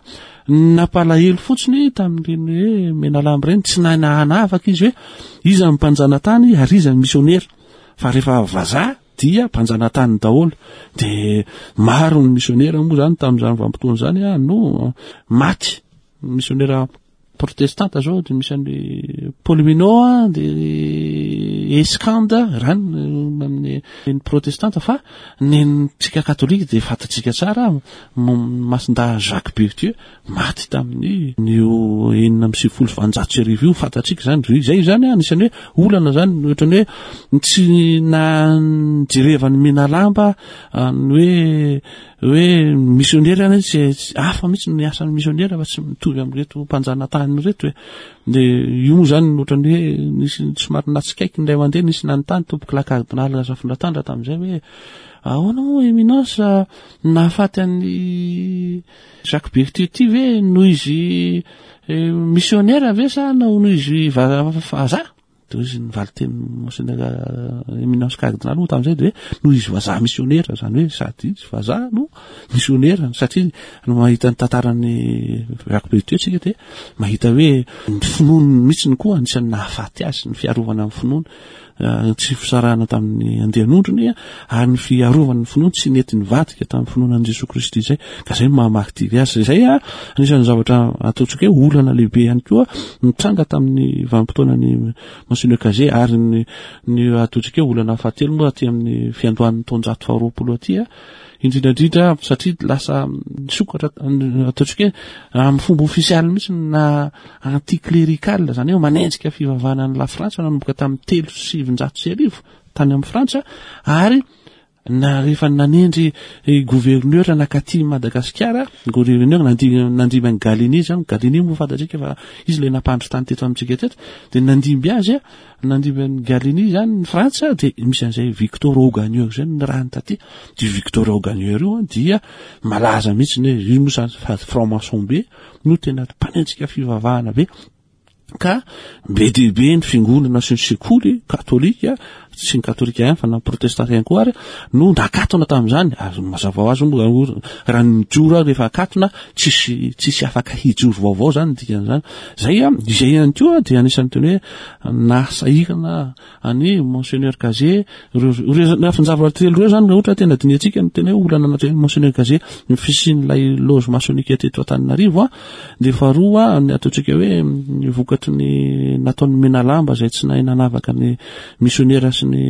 nampalahelo fotsiny tamin'ireny hoe Menalamba ireny tsy nahanavaka izy hoe iza ny mpanjanatany ary iza ny misionera, fa rehefa vazaha dia mpanjanatany daholo. Dia maro ny misionera moa zany tamin'izany vanim-potoana izany a no maty. Misionera protestanta zao dia misy an'le Paul Minot dia Escande rany amin'ny ny protestanta, fa ny tsika katolika dia fantatsika tsara Masindahy Jacques Berthieu maty tamin'ny io enina amby sivifolo sy valonjato sy arivo io, fantatsika zany. Zay zany anisan'ny hoe olana zany ohatrany hoe tsy najerevan'ny Menalamba ny hoe hoe misionera zany tsy hafa mihitsy ny asan'ny misionera fa tsy mitovy amin'ireto mpanjanatany ireto e. Dia io moa zany ohatrany hoe nisy somary natsikaiky indray mandeha nisy nanontany tompoko lahy kardinaly azafady Zafindrantandra tamin'izay hoe ahoana moa Éminence nahafaty an'i Jacques Berthieu ty ve noho izy missionnaire ve sa noho izy vazaha? De izy ny valiteny Monseigneur Éminence cardinal moa tamin'izay de hoe noho izy vazaha missionnaire, zany hoe sady izy vazaha no missionnaire, satria no mahita ny tantaran'ny Jacques Berthieu tsika de mahita hoe ny finoany mihitsy koa anisan'ny nahafaty azy, ny fiarovana amin'ny finoana, tsy fisarahana tamin'ny andian'ondrony ary ny fiarovana ny finoany tsy nety nivadika tamin'ny finoana an'i Jesoa Kristy izay, ka zay no maha-martyr azy. Zay a anisan'ny zavatra ataontsika hoe olana lehibe ihany koa nitranga tamin'ny vanim-potoanany Monseigneur Cazet. Ary ny ny ataontsika hoe olana fahatelo moa aty amin'ny fiandohan'ny taonjato faharoapolo aty a, indrindrandrindra satria lasa nisokatra ataontsika hoe amin'ny fomba ofisialy mihitsy na anticlérical, zany hoe manenjika fivavahana ny La Frantsa nanomboka tamin'ny telo sivinjato sy arivo tany amin'ny Frantsa, ary na rehefa nanendry gouverneur nakaty Madagasikara, gouverneur nandimby an'i Gallieni zany, Gallieni moa fantatsika fa izy ilay nampandry tany teto amintsika teto, de nandimby azy a, nandimby an'i Gallieni zany ny Frantsa, de misy an'izay Victor Augagneur zay ny rahany taty. De Victor Augagneur io dia malaza mihitsy ny hoe io moa zany fa franc-maçon be no tena mpanenjika fivavahana be, ka be dia be ny fiangonana sy ny sekoly katolika, tsy ny katolika ihany fa na protestanta ihany koa ary no nakatona tamin'izany. Ary mazava ho azy moa raha nijoro aho rehefa akatona tsisy tsisy afaka hijoro vaovao zany dikan'izany. Zay a izay ihany koa dia anisan'ny teny hoe nasahirana any Monseigneur Cazet. Ireo lafin-javatra telo ireo zany ohatra tena dinihantsika ny tena hoe olana natrehin'ny Monseigneur Cazet, ny fisian'ilay loge maçonnique teto Antananarivo a, dia faharoa ny ataontsika hoe ny vokatry ny nataon'ny Menalamba izay tsy nahay nanavaka ny missionnaire sy ny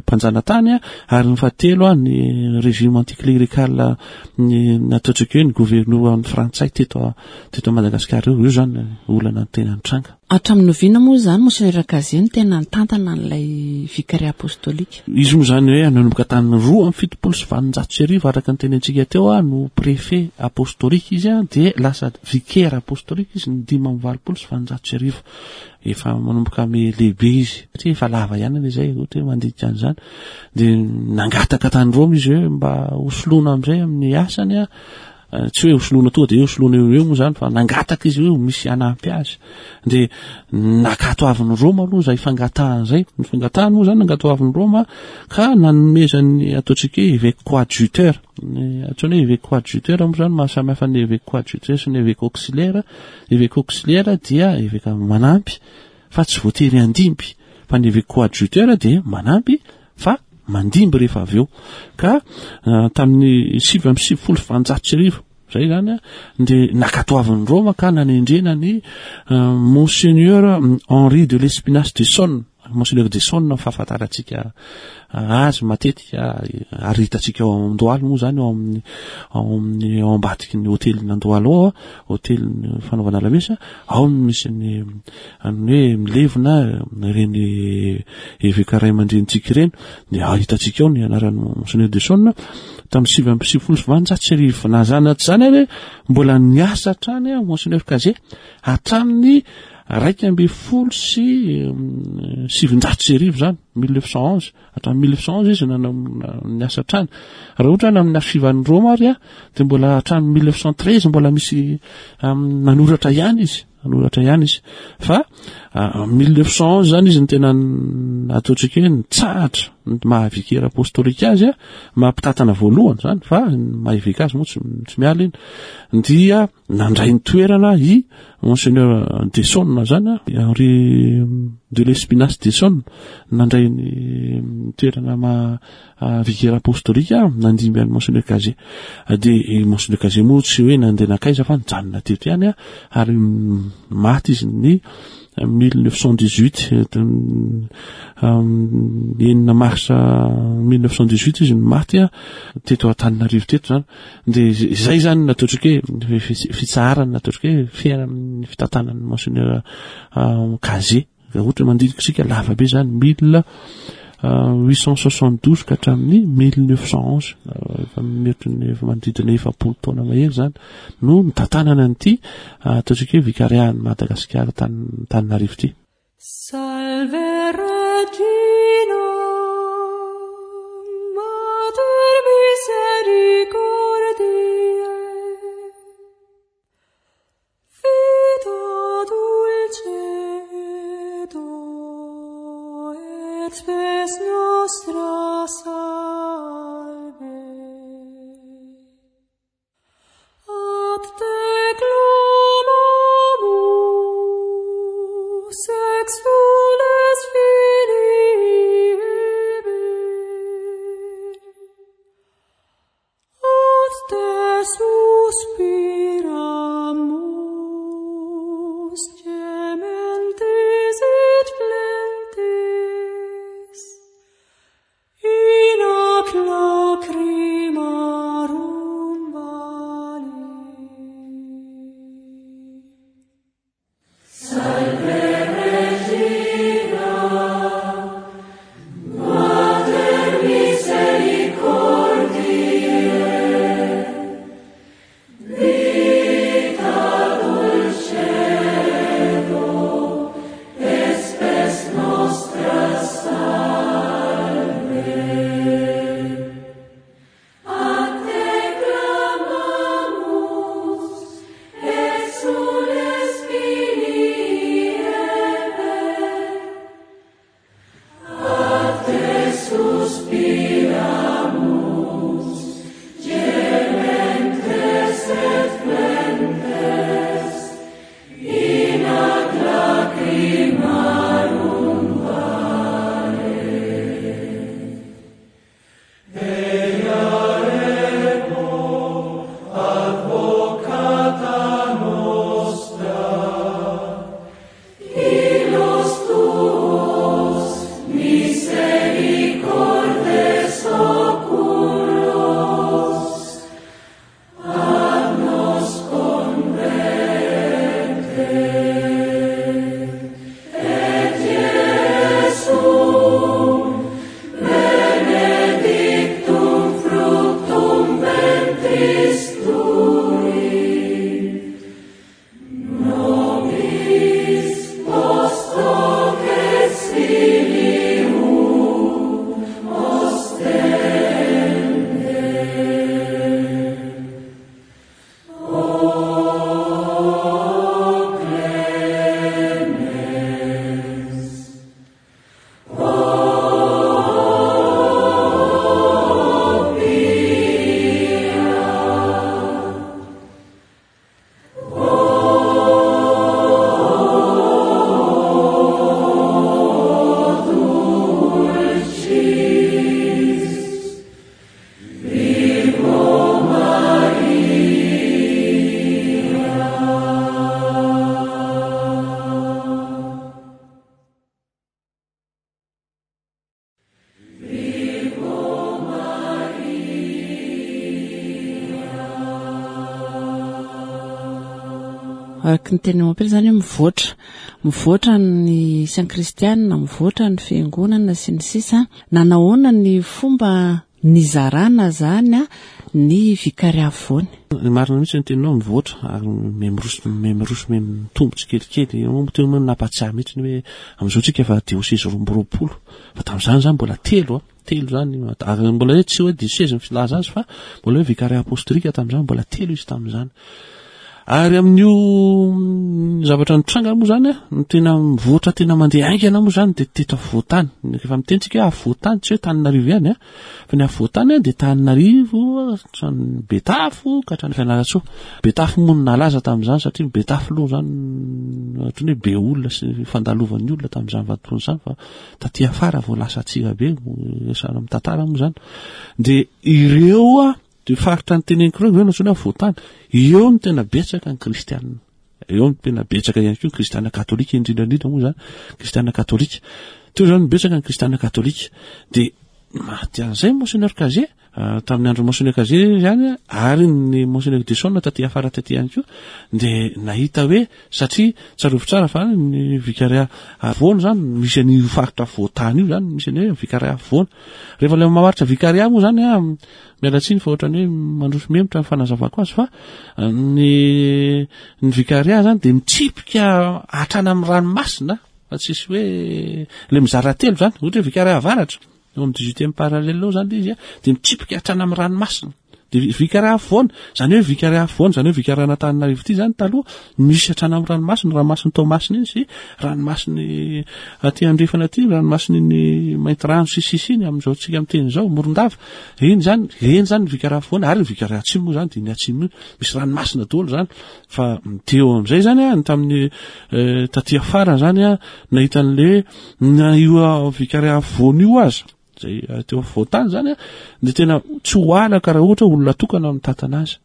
mpanjanatany a, ary ny fahatelo a ny régime anticlérical ny nataontsika hoe ny gouverneur frantsay teto teto Madagasikara io. Io zany olana tena nitranga. Hatramin'ny oviana moa zany Monseigneur Cazet no tena nitantana an'ilay vicariat apostolique? Izy moa zany hoe nanomboka tamin'ny roa amby fitopolo sy valonjato sy arivo araka ny tenentsika teo a no préfet apostolique izy a, de lasa vicaire apostolique izy ny dimy amby valopolo sy valonjato sy arivo. Efa manomboka ame lehibe izy satria efa lava ihany anie zay ohatra hoe mandinika an'izany, de nangataka tany Roma izy hoe mba hosoloana amin'izay amin'ny asany a, tsy hoe hosoloana tonga de hoe hosoloana eo eo moa zany fa nangataka izy hoe misy hanampy azy, de nankatoavin'ny Roma aloha zay fangatahana zay. Ny fangatahana moa zany nankatoavin'ny Roma ka nanomezany ataontsika hoe évêque coadjuteur. Ny antsoina hoe évêque coadjuteur moa zany mahasamihafa ny évêque coadjuteur sy ny évêque auxiliaire. Évêque auxiliaire dia évêque manampy fa tsy voatery handimby, fa ny évêque coadjuteur dia manampy fa mandimby rehefa avy eo. Ka tamin'ny sivy amby sivifolo sy valonjato sy arivo zay zany a de nankatoavin'ny Roma ka nanendrena ny Monseigneur Henri de l'Espinasse de Sonne. Monseigneur de Sonne fahafantarantsika azy matetika ary hitantsika ao Andohalo moa zany, ao amin'ny ao amin'ny ao ambadiky ny hôtelin'ny Andohalo ao, hôtelin'ny fanaovana lamesa, ao no misy ny ny hoe milevina ireny eveka ray aman-drenintsika ireny, de hitantsika ao ny anaran'ny Monseigneur de Sonne tamin'ny sivy amby sivifolo sy valonjato sy arivo. Na zany na tsy zany ary mbola niasa hatrany a Monseigneur Cazet hatramin'ny raika amby folo sy sivinjato sy arivo zany, mille neuf cent onze, hatramin'ny mille neuf cent onze izy nanao niasa hatrany. Raha ohatra na amin'ny archivan'ny Roma ary a de mbola hatramin'ny mille neuf cent treize mbola misy nanoratra ihany izy, nanoratra ihany izy. Fa mille neuf cent onze zany izy ny tena ataontsika hoe nitsahatra ny maha vicaire apostolique azy a, maha-mpitantana voalohany zany, fa maha évêque azy moa tsy tsy miala iny, dia nandray ny toerana i Monseigneur de Sonne zany a, Henri de l'Espinasse de Sonne nandray ny toerana maha vicaire apostolique nandimby an'i Monseigneur Cazet. De Monseigneur Cazet moa tsy hoe nandeha nankaiza fa nijanona teto ihany a, ary maty izy ny mille neuf cent dix-huit, enina mars mille neuf cent dix-huit izy no maty a teto Antananarivo teto zany. De zay zany nataontsika hoe fitsaharana, nataontsika hoe fiainan'ny fitantanan'ny Monseigneur Cazet. Ohatra mandinika isika lava be zany mille huit cent soixante-douze ka hatramin'ny mille neuf cent onze, efa mety ny efa manodidina efapolo taona mahery zany no nitantanana an'ity ataontsika hoe vicariat Madagasikara Antananarivo ity. Salve Regina, Spes nostra salve. Ad te clamamus, exules filii Hebrae. Ad te suspiramus, gementes et flentes, in hoc lacrimarum vale. Salve Regina, Mater misericordiae, vita dulcedo, et spes nostra salve. Ad te clamamus, exules filii Hebrae, ad te suspiramus, gementes et flentes, in hac lacrimarum vale. Ea ego advocata nostra, illos tuos misericordes oculos ad nos converte. Et Iesum benedictum fructum ventris tui, nobis post hoc exilium ostende. O clemens, O pia, O dulcis Virgo Maria. Virgo Araka ny teny mampely izany hoe mivoatra, mivoatra ny isan'ny kristianina, mivoatra ny fiangonana sy ny sisa. Nanahoana ny fomba nizarana zany a ny vikary afovoany? Ny marina mihitsy ny teninao, mivoatra ary miha-miroso, miha-miroso, miha-mitombo tsikelikely. Eo moa teo moa nampatsiahy mihitsy ny hoe amin'izao tsika efa dioseze roa amby roapolo, fa tamin'izany zany mbola telo a, telo zany, ary mbola hoe tsy hoe dioseze ny filaza azy fa mbola hoe vikary apostolika tamin'izany, mbola telo izy tamin'izany. Ary amin'io zavatra nitranga moa zany a, ny tena mivoatra tena mandeha haingana moa zany dia teto afovoan-tany. Rehefa miteny tsika hoe afovoan-tany, tsy hoe Tananarivo ihany a, fa ny afovoan-tany a dia Tananarivo, hatrany Betafo ka hatrany Fianarantsoa. Betafo moa no nalaza tamin'izany satria Betafo aloha zany ohatran'ny hoe be olona sy fandalovan'ny olona tamin'izany vanim-potoana izany, fa taty afara vao lasa Antsirabe, resahana amin'ny tantara moa zany. Dia ireo a, dia faritra ny teneniko ireo, ireo no antsoina hoe afovoan-tany. Eo no tena betsaka ny kristianina. Eo no tena betsaka ihany koa ny kristianina katolika, indrindra indrindra moa zany, kristianina katolika. Teo zany betsaka ny kristianina katolika. Dia maty an'izay Monseigneur Cazet, ah, tamin'ny andro Monseigneur Cazet zany, ary ny Monseigneur Desson taty afara taty ihany koa, dia nahita hoe, satria tsarovy tsara fa ny vikaria afovoany zany, misy an'io faritra afovoan-tany io zany, misy an'io hoe vikaria afovoany. Rehefa ilay mamaritra vikaria moa zany, ah, miala tsiny fa ohatran'ny hoe mandroso mihemotra ny fanazavako azy, fa ny, ny vikaria zany dia mitsipika hatrany amin'ny ranomasina, fa tsisy hoe ilay mizara telo zany, ohatra hoe vikaria avaratra, eo amin'ny dix-huitième parallèle eo zany izy, dia mitsipika hatrany amin'ny ranomasina. Dia vikariat afovoany, izany hoe vikariat afovoany, izany hoe vikariat an'Antananarivo ity izany taloha misy hatrany amin'ny ranomasina, ranomasin'i Toamasina iny sy ranomasin'ny aty andrefana aty, ranomasin'iny Maintirano sy sisa iny amin'izao tsika miteny izao, Morondava. Iny izany, eny izany ny vikariat afovoany, ary ny vikariat atsimo moa izany dia ny atsimo io, misy ranomasina daholo izany. Fa teo amin'izay izany an, tamin'ny eh, taty afara izany an, nahita an'le hoe na io vikariat afovoany io aza, izay teo afovoan-tany izany an, dia tena tsy ho alaka raha ohatra olona tokana mitantana azy.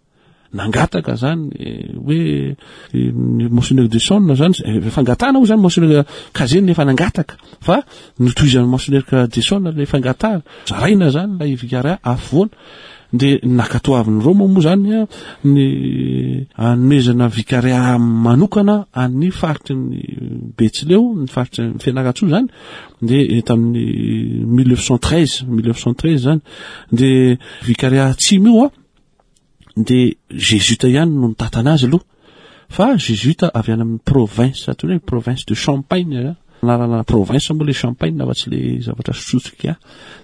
Nangataka zany hoe ny Monseigneur de Sonne zany, fangatahana moa zany Monseigneur Cazet nefa nangataka, fa notohizan'ny Monseigneur de Sonne ilay fangatahana, zaraina zany ilay vikariat afovoany. Dia nankatoavin'i Roma moa zany ny hanomezana vikariat manokana an'ny faritry ny Betsileo, ny faritry ny Fianarantsoa zany, dia tamin'ny mille neuf cent treize, mille neuf cent treize zany, dia vikariat atsimo io an, dia jésuite ihany no nitantana azy aloha, fa jésuite avy any amin'ny province, atao hoe province de Champagne zany. Anarana province moa le Champagne fa tsy le zavatra sotrotsika,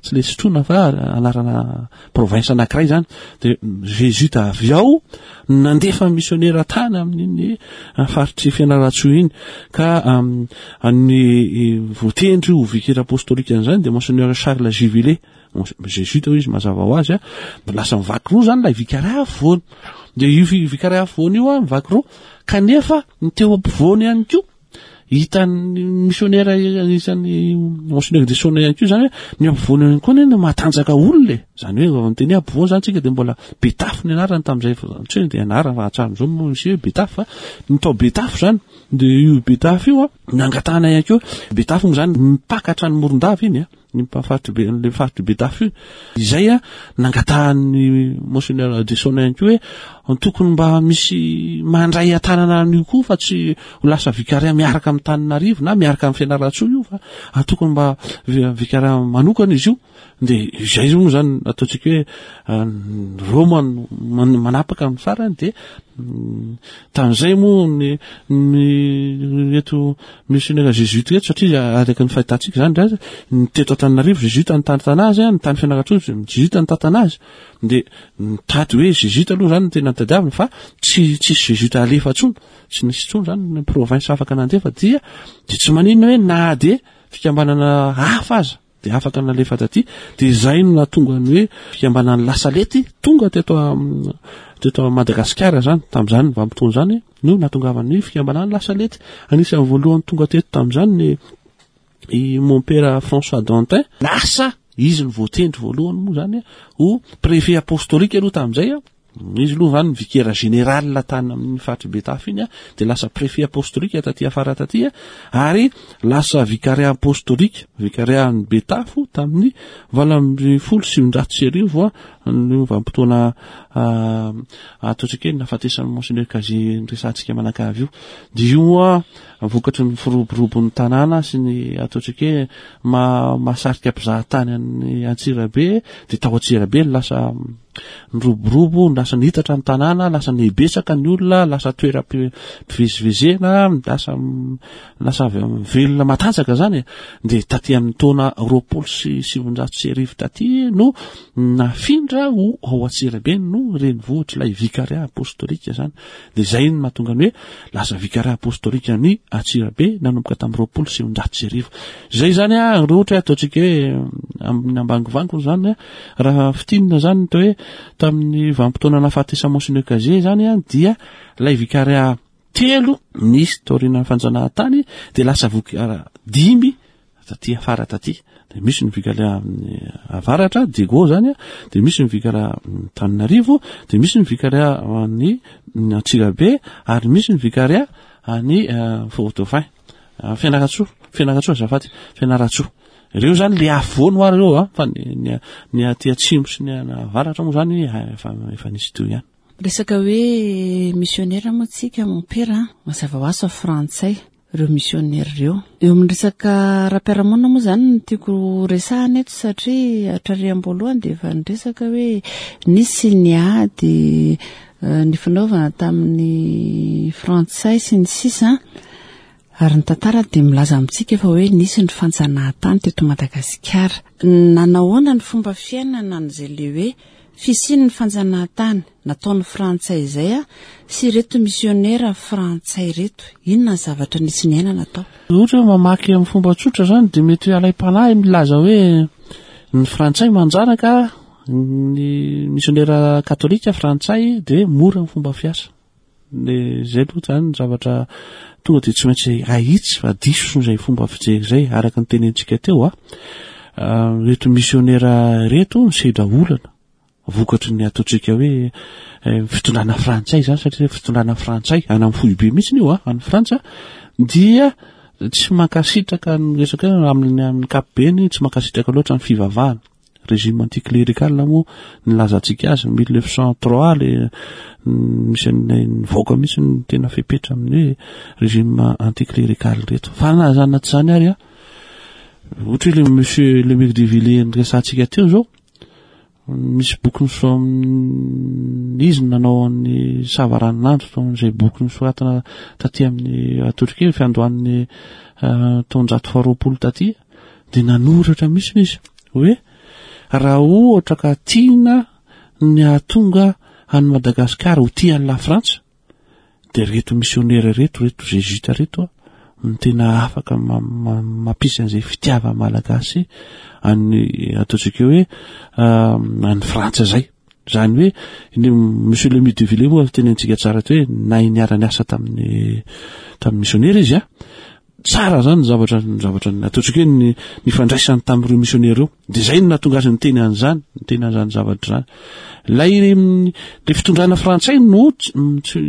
tsy le sotroina fa anarana province anankiray zany. Dia jésuite avy ao nandefa missionnaire tany amin'iny faritry Fianarantsoa iny, ka ny voatendry ho vicaire apostolique an'izany dia Monseigneur Charles Juvillet, jésuite hoy izy mazava ho azy a, lasa mivaky roa zany ilay vikariat afovoany. Dia io vikariat afovoany io a mivaky roa, kanefa ny teo ampovoany ihany koa hitan'ny missionnaire isan'ny Monseigneur de Sonne ihany koa zany hoe ny ampovoany ihany koa no mahatanjaka olona e. Zany hoe raha miteny hoe ampovoany zany tsika dia mbola Betafo ny anarany tamin'izay, tsy hoe dia anarana fa hatramin'izao moa misy hoe Betafo, fa ny tao Betafo zany dia io Betafo io a nangatahana ihany koa. Betafo moa zany mipaka hatrany Morondava iny a, ny mpahafaritry be, le faritry Betafo io. Izay a nangatahan'ny Monseigneur de Sonne ihany koa hoe tokony mba misy mandray an-tanana an'io koa fa tsy ho lasa vikariat miaraka amin'ny Tananarivo na miaraka amin'ny Fianarantsoa io, fa tokony mba vikariat manokana izy io. Dia izay moa zany ataontsika hoe Roma no manapaka amin'ny farany. Dia tamin'izay moa ny, ny eto missionnaire jésuite eto, satria araka ny fahitantsika zany ndray ny teto Antananarivo jésuite nitantana azy, ny tany Fianarantsoa jésuite nitantana azy. Dia nitady hoe jésuite aloha zany no tena nitadiavina, fa tsy, tsisy jésuite alefa intsony, tsy nisy intsony zany ny province afaka nandefa. Dia, dia tsy maninona hoe na dia fikambanana hafa aza dia afaka nalefa taty. Dia izay no nahatonga ny hoe fikambanan'ny Lasalety tonga teto am-, teto Madagasikara zany. Tamin'izany vanim-potoana izany no nahatongavan'ny fikambanan'ny Lasalety. Anisan'ny voalohany tonga teto tamin'izany ny i Mompera François Dantin. Lasa izy no voatendry voalohany moa zany ho préfet apostolique aloha tamin'izay. Izy aloha zany vicaire général tany amin'ny faritry Betafo iny, dia lasa préfet apostolique taty afara taty, ary lasa vicariat apostolique, vicariat ny Betafo tamin'ny valo amby folo sy sivinjato sy arivo, ny vanim-potoana ataontsika hoe nahafatesan'ny Monseigneur Cazet niresahantsika manakavy io. Dia io a vokatry ny firoborobon'ny tanàna sy ny ataontsika hoe ma-, mahasarika mpizahatany any Antsirabe, dia tao Antsirabe no lasa niroborobo, lasa nihitatra ny tanàna, lasa nibetsaka ny olona, lasa toeram-pivezivezena, lasa, lasa velona matanjaka zany. Dia taty amin'ny taona roapolo sy sivinjato sy arivo taty no nafindra ho ao Antsirabe no renivohitra ilay vicariat apostolique zany. Dia izay no mahatonga ny hoe lasa vicariat apostolique ny Antsirabe nanomboka tamin'ny roapolo sy sivinjato sy arivo. Izay zany a, raha ohatra hoe ataontsika hoe amin'ny ambangovango zany a, raha fintinina zany ny hoe tamin'ny vanim-potoana nahafatesan'i Monseigneur Cazet zany a, dia ilay vicariat telo nisy taorian'ny fanjanahantany dia lasa vicariat dimy taty afara taty. Dia misy ny vicariat amin'ny avaratra, Diego zany a, dia misy ny vicariat Antananarivo, dia misy ny vicariat any Antsirabe, ary misy ny vicariat any Fort-Dauphin, Fianarantsoa, Fianarantsoa azafady, Fianarantsoa. Ireo zany le afovoany ho ary ireo a, fa ny, ny, ny aty atsimo sy ny avaratra moa zany efa, efa nisy teo ihany. Resaka hoe missionnaire moa tsika mompera, mazava ho azy fa frantsay ireo missionnaire ireo. Eo amin'ny resaka ara-piarahamonina moa zany no tiako resahana eto, satria hatrary am-boalohany dia efa niresaka hoe nisy ny ady ny fanaovana tamin'ny frantsay sy ny sisa. Ary ny tantara dia milaza amintsika fa hoe nisy ny fanjanahantany teto Madagasikara. Nanahoana ny fomba fiainana an'izay le hoe fisian'ny fanjanahantany nataon'ny frantsay izay a sy ireto misionera frantsay ireto, inona ny zavatra nisy niainana tao? Ohatra hoe mamaky amin'ny fomba tsotra zany dia mety hoe alaim-panahy milaza hoe ny frantsay manjanaka ny misionera katolika frantsay dia mora ny fomba fiasa. Le zay aloha zany zavatra tonga dia tsy maintsy ahitsy fa diso izay fomba fijery izay, araka ny tenentsika teo a. Ireto misionera ireto nisedra olana vokatry ny ataontsika hoe fitondrana frantsay zany, satria fitondrana frantsay any amin'ny foibe mihitsy io a, any Frantsa, dia tsy mankasitraka ny resaka hoe amin'ny, amin'ny ankapobeny tsy mankasitraka loatra ny fivavahana. Régime anticlérical moa nilazantsika azy mille neuf cent trois le misy ny nivoaka mihitsy ny tena fepetra amin'ny hoe régime anticlérical reto. Fa na zany na tsy zany ary a, ohatra hoe le monsieur Lemire de Villiers niresahantsika teo zao, misy boky niso-, izy no nanao ny savaranonandro tao amin'izay boky nosoratana taty amin'ny ataontsika hoe fiandohan'ny, eh, taonjato faharoapolo taty, dia nanoratra mihitsy izy hoe raha ohatra ka tiana ny hahatonga an'i Madagasikara ho tia an'i La Frantsa, dia reto misionera reto, reto jésuite reto a, no tena afaka ma-, ma-, mampisy an'izay fitiavana malagasy any ataontsika hoe, ah, any Frantsa zay. Zany hoe ny monsieur Lemire de Villiers moa tenentsika tsara teo hoe nahay niara-niasa tamin'ny, tamin'ny misionera izy a. Tsara zany ny zavatra, ny zavatra ataontsika hoe ny, ny fandraisany tamin'ireo misionera ireo. Dia zay no nahatonga azy niteny an'izany, niteny an'izany zavatra izany. Ilay, ilay fitondrana frantsay no tsy, tsy,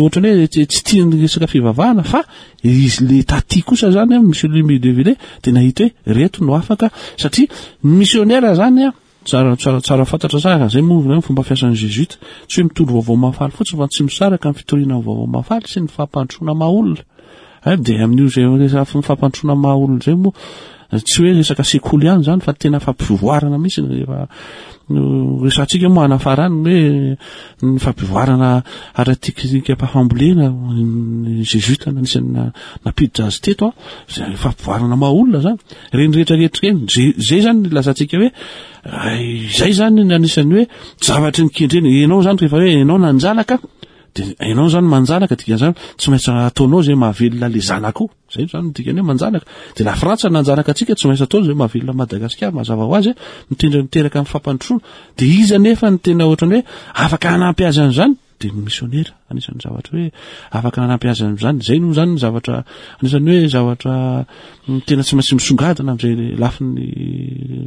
ohatrany hoe tsy, tsy tia ny resaka fivavahana, fa izy le taty kosa zany a, monsieur Lemire de Villiers dia nahita hoe reto no afaka, satria ny misionera zany a, tsara, tsara, tsara fantatra tsara, zay moa ny fomba fiasan'ny jésuite, tsy hoe mitory vaovao mahafaly fotsiny fa tsy misaraka ny fitoriana ny vaovao mahafaly sy ny fampandrosoana maha olona. Eh, dia amin'io zay resaka fampandrosoana maha olona zay moa tsy hoe resaka sekoly ihany zany fa tena fampivoarana mihitsy. Rehefa no resahantsika moa anafarany hoe ny fampivoarana ara-teknika-pahafambolena, ny jésuite anisan'ny na-, nampiditra azy teto a, zay fampivoarana maha olona zany. Ireny rehetra rehetra ireny, zay, zay zany ny lazantsika hoe, ay, zay zany ny anisan'ny hoe zavatry ny kendrena. Ianao zany rehefa hoe ianao nanjanaka, dia ianao zany manjanaka, dikan'izany tsy maintsy ataonao zay mahavelona le zanakao. Zay zany no dikany hoe manjanaka. Dia la Frantsa nanjanaka antsika, tsy maintsy ataony zay mahavelona Madagasikara, mazava ho azy, mitendra miteraka amin'ny fampandrosoana. Dia izy anefa ny tena ohatrany hoe afaka hanampy azy an'izany, dia ny misionera anisan'ny zavatra hoe afaka hanampy azy an'izany. Zay no zany ny zavatra anisan'ny hoe zavatra tena tsy maintsy misongadina amin'izay lafiny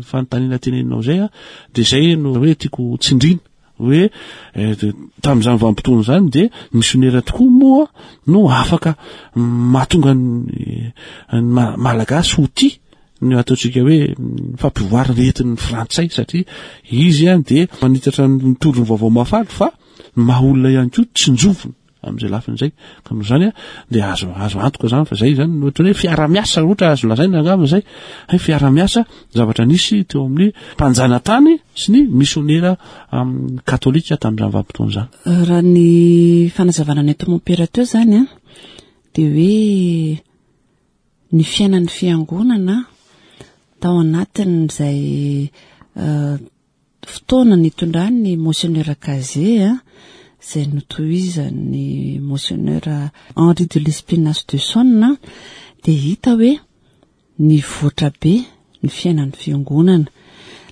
fanontaniana teneninao zay a. Dia zay no hoe tiako tsindrina hoe, eh, de, tamin'izany vanim-potoana izany dia misionera tokoa moa no afaka mahatonga ny, ny ma-, malagasy ho tia ny ataontsika hoe fampivoarana entin'ny frantsay, satria izy a dia manitatra ny mitory ny vaovao mahafaly fa ny maha olona ihany koa tsinjovina amin'izay lafiny izay. Ka noho izany a dia azo, azo antoka zany fa zay zany no ohatran'ny hoe fiara-miasa, ohatra azo lazaina angamba zay, hoe fiara-miasa zavatra nisy teo amin'ny mpanjanatany sy ny misionera, am, katolika tamin'izany vanim-potoana izany. Raha ny fanazavana ny eto mompera teo zany a, dia hoe ny fiainan'ny fiangonana tao anatin'izay, eh, fotoana nitondrany monseigneur Cazet a, izay notohizan'ny monseigneur Henri de Lespinasse de Sonne, dia hita hoe nivoatra be ny fiainan'ny fiangonana.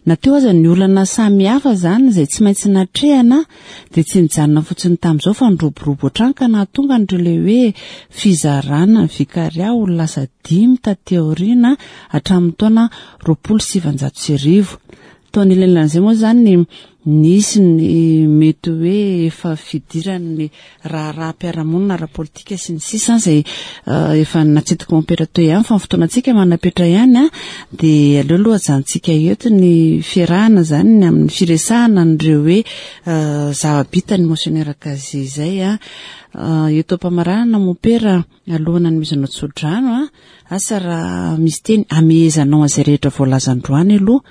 Na teo aza ny olana samihafa zany izay tsy maintsy natrehana, dia tsy nijanona fotsiny tamin'izao fa niroborobo hatrany ka nahatonga an'ireo ilay hoe fizarana ny vikaria ho lasa dimy taty aoriana hatramin'ny taona roapolo sy sivanjato sy arivo. Tao anilan'izay moa zany nisy ny mety hoe efa fidiran'ny raharaham-piarahamonina ara-politika sy ny sisa izay, eh, efa natsidika mompera teo ihany, fa ny fotoanantsika manapetra ihany a, dia aleo aloha ajanontsika eto ny fiarahana zany ny amin'ny firesahana an'ireo hoe, eh, zava-bita ny monseigneur Cazet izay a. Eh, eto am-pamaranana mompera, alohan'ny hanomezana tsodrano a, asa raha misy teny amehezanao an'izay rehetra voalaza androany aloha.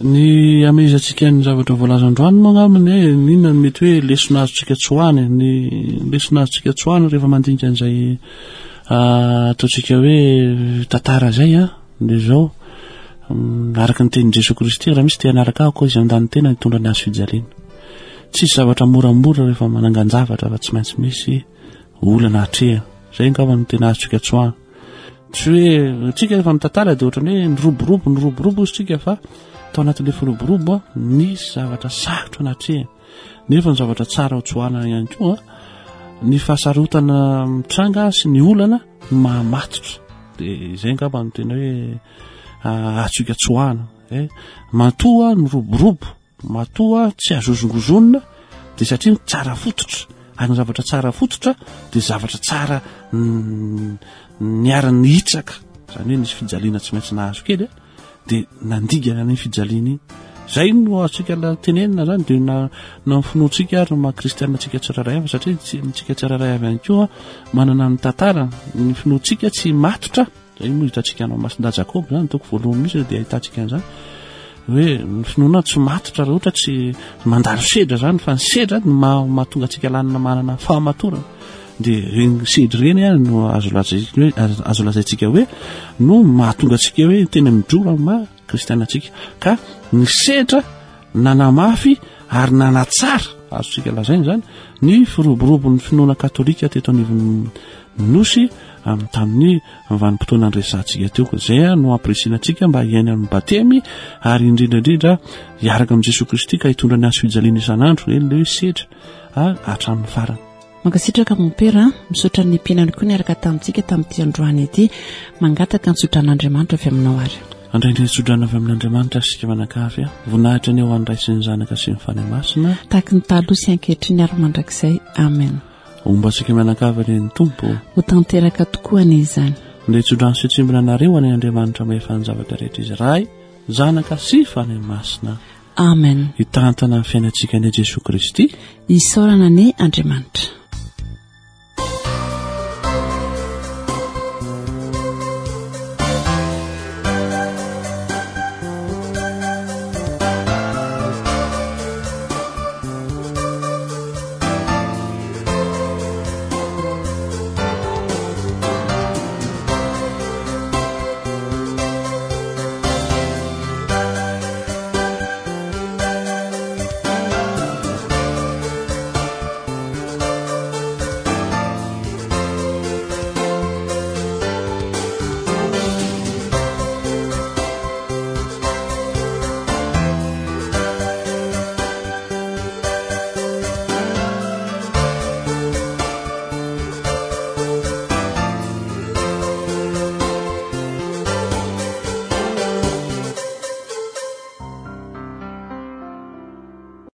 Ny amehezantsika ny zavatra voalaza androany moa angamba ny hoe inona no mety hoe lesona azontsika tsoahana, ny lesona azontsika tsoahana rehefa mandinika an'izay, ah, ataontsika hoe tantara izay a, dia izao, Araka ny tenin'i Jesoa Kristy, raha misy te hanaraka ahy koa izy handany tena hitondra ny hazo fijaliana. Tsisy zavatra moramora rehefa manangan-javatra fa tsy maintsy misy olana atrehana. Izay angamba no tena azontsika tsoahana. Tsy hoe tsika rehefa mitantara dia ohatran'ny hoe niroborobo, niroborobo izy tsika fa tao anatin'ilay firoborobo nisy zavatra sarotra natrehana. Nefa ny zavatra tsara ho tsoahana ihany koa, ny fahasarotana mitranga sy ny olana no mahamatotra. Dia izay angamba no tena hoe azontsika tsoahana. Eh, matoa niroborobo, matoa tsy azo hozongozonina, dia satria tsara fototra. Ary ny zavatra tsara fototra dia zavatra tsara niara-nihitsaka. Izany hoe nisy fijaliana tsy maintsy nahazo kely, dia nandigana ny fijaliana iny. Izay no azontsika tenenina zany, dia na, na ny finoantsika ary ny maha kristianina antsika tsirairay avy, satria tsika tsirairay avy ihany koa manana ny tantara, ny finoantsika tsy matotra. Izay moa hitantsika any Masindahy Jakoba zany, toko voalohany mihitsy dia ahitantsika an'izany hoe ny finoana tsy matotra raha ohatra tsy mandalo sedra zany, fa ny sedra no maha-, mahatonga antsika lanina manana fahamatorana. Dia ireny sedra ireny a no azo lazaina hoe, azo, azo lazaintsika hoe no mahatonga antsika hoe tena mijoro amin'ny maha kristianina antsika. Ka ny sedra nanamafy ary nanatsara, azontsika lazaina zany, ny firoborobon'ny finoana katolika teto anivon'ny nosy amin'ny tamin'ny vanim-potoana niresahantsika teo. Izay no ampirisihina antsika mba hiaina amin'ny batemy ary indrindra indrindra hiaraka amin'i Jesoa Kristy ka hitondra ny hazo fijaliana isan'andro, eny ilay hoe sedra, a, hatramin'ny farany. Mankasitraka mompera, misaotra ny mpianany koa niaraka tamintsika tamin'ity androany ity. Mangataka ny tsodran'Andriamanitra avy aminao ary. Andray ny tsodrano avy amin'Andriamanitra isika manakavy. Voninahitra ny eo an'ny Ray sy ny Zanaka sy ny Fanahy Masina. Tahaka ny taloha sy ankehitriny ary mandrakizay. Amen. Homba antsika mianakavy anie ny Tompo. Ho tanteraka tokoa anie izany. Andeha tsodrano sy tsimbina anareo anie Andriamanitra mahefa ny zavatra rehetra izy, Ray, Zanaka sy Fanahy Masina. Amen. Hitantana ny fiainantsika anie Jesoa Kristy. Isaorana anie Andriamanitra.